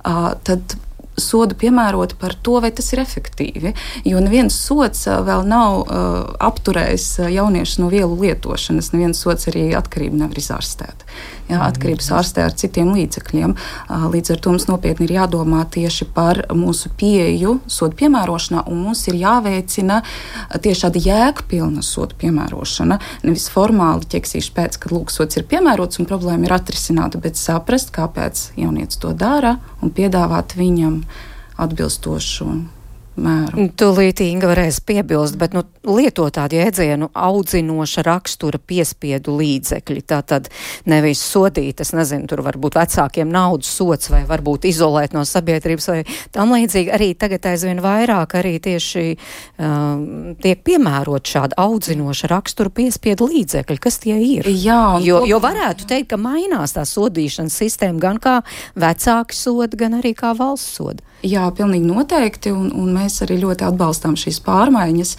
uh, tad sodu piemērot par to, vai tas ir efektīvi. Jo neviens sods vēl nav uh, apturējis jauniešus no vielu lietošanas, neviens sods arī atkarību nevar izārstēt. Jā, atkarības ārstē ar citiem līdzekļiem. Uh, līdz ar to mums nopietni ir jādomā tieši par mūsu pieeju sodu piemērošanā, un mums ir jāveicina tieši tāda jēgpilna sodu piemērošana, nevis formāli ķeksīšu pēc, kad lūk, sods ir piemērots un problēma ir atrisināta, bet saprast, kāpēc jaunietis to dara un piedāvāt viņam atbilstošu mēru. Tūlīt Inga varēs piebilst, bet nu, lieto tādu jēdzienu audzinoša rakstura piespiedu līdzekļi. Tātad nevis sodīt, es nezinu, tur varbūt vecākiem naudas sots vai varbūt izolēt no sabiedrības vai tam līdzīgi. Arī tagad aizvien vairāk arī tieši um, tiek piemērot šāda audzinoša rakstura piespiedu līdzekļi. Kas tie ir? Jā, jo, jo varētu teikt, ka mainās tā sodīšanas sistēma gan kā vecāki soda, gan arī kā valsts soda. Jā, pilnīgi noteikti, un, un mēs arī ļoti atbalstām šīs pārmaiņas,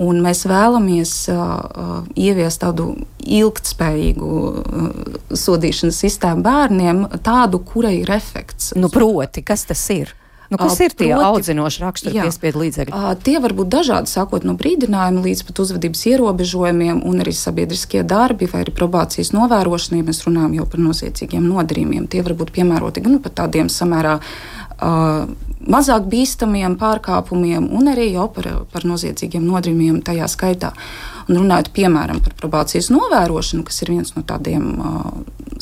un mēs vēlamies uh, ieviest tādu ilgtspējīgu uh, sodīšanas sistēmu bērniem, tādu, kurai ir efekts. Nu, proti, kas tas ir? Nu, kas ir tie Proti, audzinoši rakstura piespiedu līdzekļi? Uh, tie var būt dažādi, sākot no brīdinājuma līdz pat uzvedības ierobežojumiem un arī sabiedriskie darbi vai arī probācijas novērošana, ja mēs runājam jau par noziedzīgiem nodarījumiem. Tie var būt piemēroti gan pat tādiem samērā Uh, mazāk bīstamiem pārkāpumiem un arī jau par, par noziedzīgiem nodarījumiem tajā skaitā. Un runājot piemēram par probācijas novērošanu, kas ir viens no tādiem uh,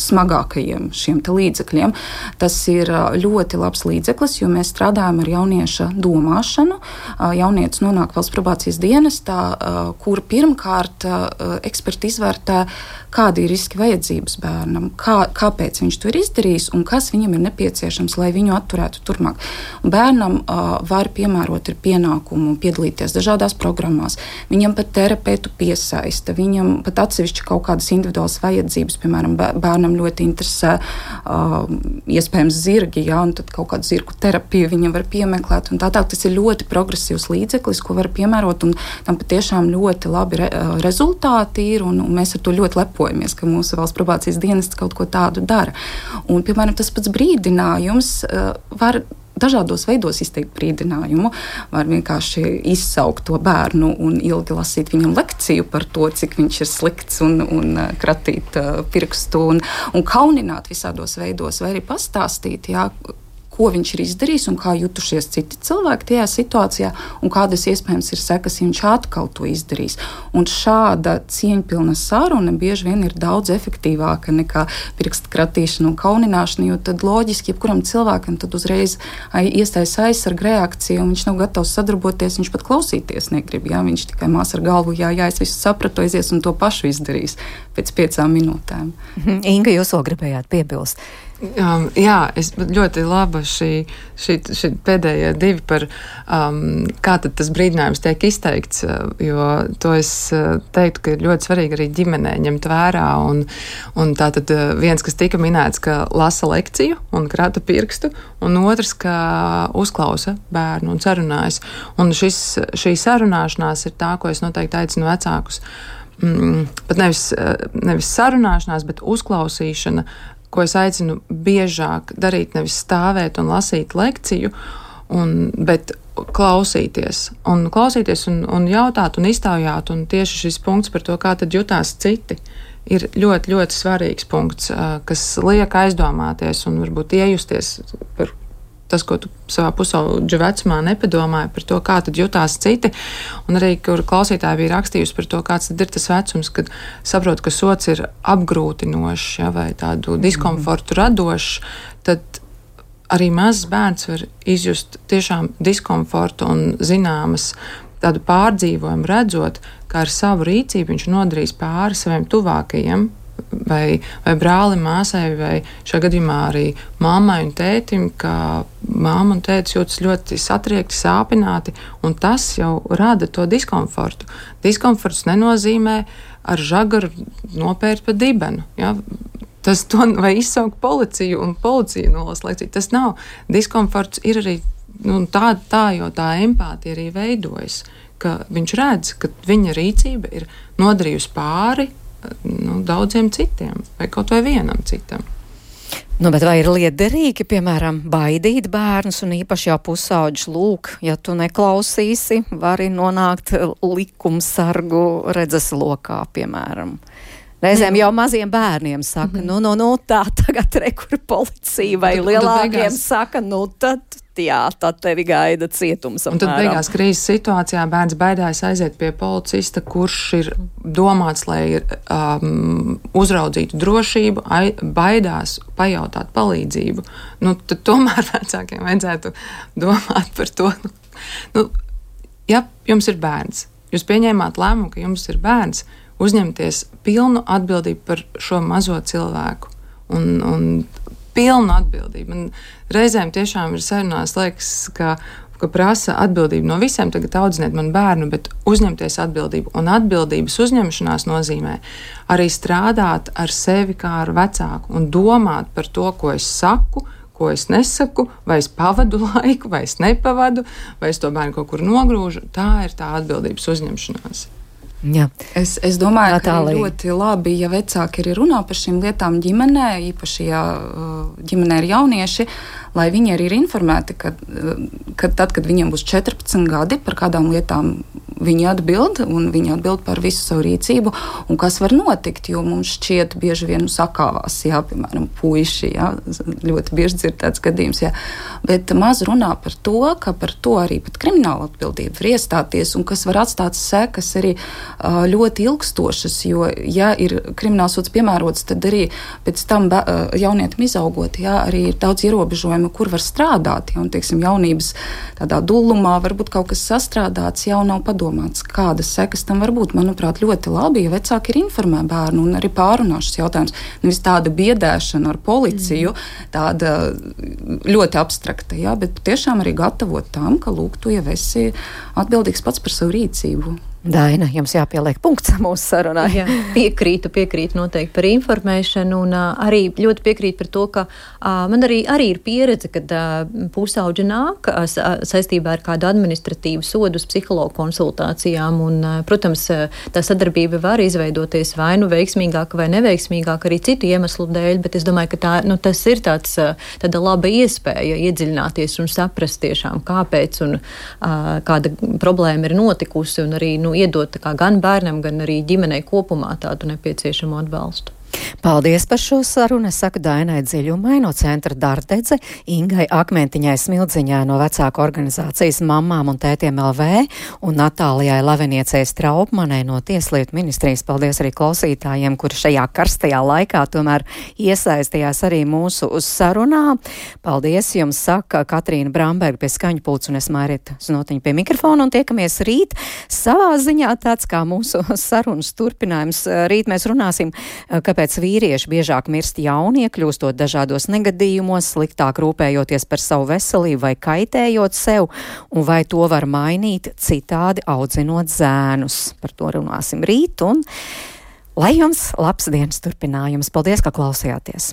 smagākajiem šiem te līdzekļiem, tas ir uh, ļoti labs līdzeklis, jo mēs strādājam ar jaunieša domāšanu. Uh, jaunietis nonāk valsts probācijas dienestā, uh, kur pirmkārt uh, eksperti izvērtē, kādi ir riski vajadzības bērnam, kā, kāpēc viņš to ir izdarījis un kas viņam ir nepieciešams, lai viņu atturētu turpmāk. Bērnam uh, var piemērot ar pienākumu piedalīties dažādās programmās, viņam pat terapeitu piesaista, viņam pat atsevišķi kaut kādas individuālas vajadzības, piemēram, bērnam ļoti interesē uh, iespējams zirgi, jā, un tad kaut kādu zirgu terapiju viņam var piemeklēt, un tā tā, tas ir ļoti progresīvs līdzeklis, ko var piemērot, un tam patiešām ļoti labi re, uh, rezultāti ir, un, un mēs ar to ļoti lepojamies, ka mūsu valsts probācijas dienests kaut ko tādu dara. Un, piemēram, tas pats brīdinājums uh, var dažādos veidos izteikt brīdinājumu, var vienkārši izsaukt to bērnu un ilgi lasīt viņam lekciju par to, cik viņš ir slikts un, un kratīt uh, pirkstu un, un kaunināt visādos veidos, vai arī pastāstīt, jā, ko viņš ir izdarījis un kā jutušies citi cilvēki tajā situācijā un kādas iespējams ir sekas, ja viņš atkal to izdarīs. Un šāda cieņpilna saruna bieži vien ir daudz efektīvāka nekā pirkstu kratīšana un kaunināšana, jo tad loģiski jebkuram cilvēkam tad uzreiz iestājas aizsarga reakcija un viņš nav gatavs sadarboties, viņš pat klausīties negrib, jā, viņš tikai mās ar galvu, jā, jā, es visu sapratu, aizies un to pašu izdarīs pēc piecām minūtēm. Inga, jūs vēl gribējāt piebilst? Um, jā, es ļoti laba šī, šī, šī pēdējie divi par um, kā tad tas brīdinājums tiek izteikts, jo to es teiktu, ka ir ļoti svarīgi arī ģimenē ņemt vērā un, un tā tad viens, kas tika minēts, ka lasa lekciju un krata pirkstu, un otrs, ka uzklausa bērnu un sarunājas. Un šis, šī sarunāšanās ir tā, ko es noteikti aicinu vecākus. Mm, pat nevis, nevis sarunāšanās, bet uzklausīšana, ko es aicinu biežāk darīt, nevis stāvēt un lasīt lekciju, un, bet klausīties. Un klausīties un, un jautāt un iztaujāt, un tieši šis punkts par to, kā tad jutās citi, ir ļoti, ļoti svarīgs punkts, kas liek aizdomāties un varbūt iejusties par tas, ko tu savā pusaudža vecumā nepadomāji par to, kā tad jutās citi, un arī, kur klausītāji bija rakstījusi par to, kāds tad ir tas vecums, kad saprot, ka sots ir apgrūtinošs, ja, vai tādu diskomfortu radošs, tad arī mazs bērns var izjust tiešām diskomfortu un zināmas tādu pārdzīvojumu, redzot, kā ar savu rīcību viņš nodarīs pāri saviem tuvākajiem, vai, vai brālim, māsai, vai šajā gadījumā arī mammai un tētim, ka mamma un tētis jūtas ļoti satriekti, sāpināti, un tas jau rada to diskomfortu. Diskomforts nenozīmē ar žagaru nopērt pa dibenu, ja? Tas to vai izsaukt policiju un policija nolas lekciju. Tas nav. Diskomforts ir arī nu, tā, tā, jo tā empātija arī veidojas, ka viņš redz, ka viņa rīcība ir nodarījusi pāri nu, daudziem citiem, vai kaut vai vienam citam. Nu, bet vai ir liederīgi, piemēram, baidīt bērnus un īpaši jau pusauģis lūk, ja tu neklausīsi, vari nonākt likumsargu redzes lokā, piemēram? Reizēm jau maziem bērniem saka, mm-hmm. nu, nu, nu, tā tagad rekur policija vai un, lielākiem un beigās... saka, nu, tad, jā, tad tevi gaida cietums. Un tad beigās krīzes situācijā bērns baidās aiziet pie policista, kurš ir domāts, lai um, uzraudzītu drošību, ai, baidās pajautāt palīdzību. Nu, tad tomēr vecākiem vajadzētu domāt par to. Nu, ja jums ir bērns, jūs pieņēmāt lēmumu, ka jums ir bērns, uzņemties pilnu atbildību par šo mazo cilvēku un, un pilnu atbildību. Man reizēm tiešām ir sarunās, liekas, ka, ka prasa atbildību no visiem, tagad audziniet man bērnu, bet uzņemties atbildību. Un atbildības uzņemšanās nozīmē arī strādāt ar sevi kā ar vecāku un domāt par to, ko es saku, ko es nesaku, vai es pavadu laiku, vai es nepavadu, vai es to bērnu kaut kur nogrūžu. Tā ir tā atbildības uzņemšanās. Jā. Es, es domāju, Natālija. ka ļoti labi, ja vecāki arī runā par šīm lietām ģimenē, īpaši, ja ģimenē ir jaunieši, lai viņi arī ir informēti, ka, ka tad, kad viņiem būs četrpadsmit gadi, par kādām lietām viņi atbild, un viņi atbild par visu savu rīcību, un kas var notikt, jo mums šķiet bieži vien sakāvās, jā, piemēram, puiši, jā, ļoti bieži dzirdēts gadījums, jā, bet maz runā par to, ka par to arī pat krimināla atbildība var iestāties, un kas var atstāt sekas arī ļoti ilgstošas, jo, ja ir kriminālsods piemērots, tad arī pēc tam jaunietim izaugot, jā, arī ir daudz ierobežojumu, kur var strādāt, ja, un, teiksim, jaunības tādā dullumā varbūt kaut kas sastrādāts, jau nav padomāts, kādas sekas tam var būt. Manuprāt, ļoti labi, ja vecāki ir informē bērnu un arī pārunā šis jautājums. Nevis tāda biedēšana ar policiju, mm. tāda ļoti abstrakta, jā, bet tiešām arī gatavot tam, ka, lūk, tu jau esi atbildīgs pats par savu rīcību. Daina, jums jāpieliek punkts mūsu sarunā. Jā, piekrītu, piekrītu noteikti par informēšanu un uh, arī ļoti piekrītu par to, ka uh, man arī, arī ir pieredze, kad uh, pusauģi nāk uh, saistībā ar kādu administratīvu sodu uz psihologu konsultācijām un, uh, protams, uh, tā sadarbība var izveidoties vai nu veiksmīgāk vai neveiksmīgāk arī citu iemeslu dēļ, bet es domāju, ka tā, nu, tas ir tāds, uh, tāda laba iespēja iedziļināties un saprast tiešām, kāpēc un uh, kāda problēma ir notikusi un arī, nu, iedot kā gan bērnam, gan arī ģimenei kopumā tādu nepieciešamo atbalstu. Paldies par šo sarunu. Es saku Dainai Dziļumai no centra Dārdedze, Ingai Akmentiņai Smildziņai no vecāku organizācijas Mammām un tētiem L V un Natālijai Laveniecei Straupmanai no Tieslietu ministrijas. Paldies arī klausītājiem, kuri šajā karstajā laikā tomēr iesaistījās arī mūsu sarunā. Paldies jums, saka Katrīna Bramberga pie skaņu pults un es Mairita Znotiņa pie mikrofona un tiekamies rīt. Savā ziņā tāds kā mūsu sarunas turpinājums. Rīt mēs runāsim, kāpēc vīrieši biežāk mirst jaunie, kļūstot dažādos negadījumos, sliktāk rūpējoties par savu veselību vai kaitējot sev, un vai to var mainīt citādi audzinot zēnus. Par to runāsim rīt, un lai jums labs dienas turpinājums. Paldies, ka klausījāties!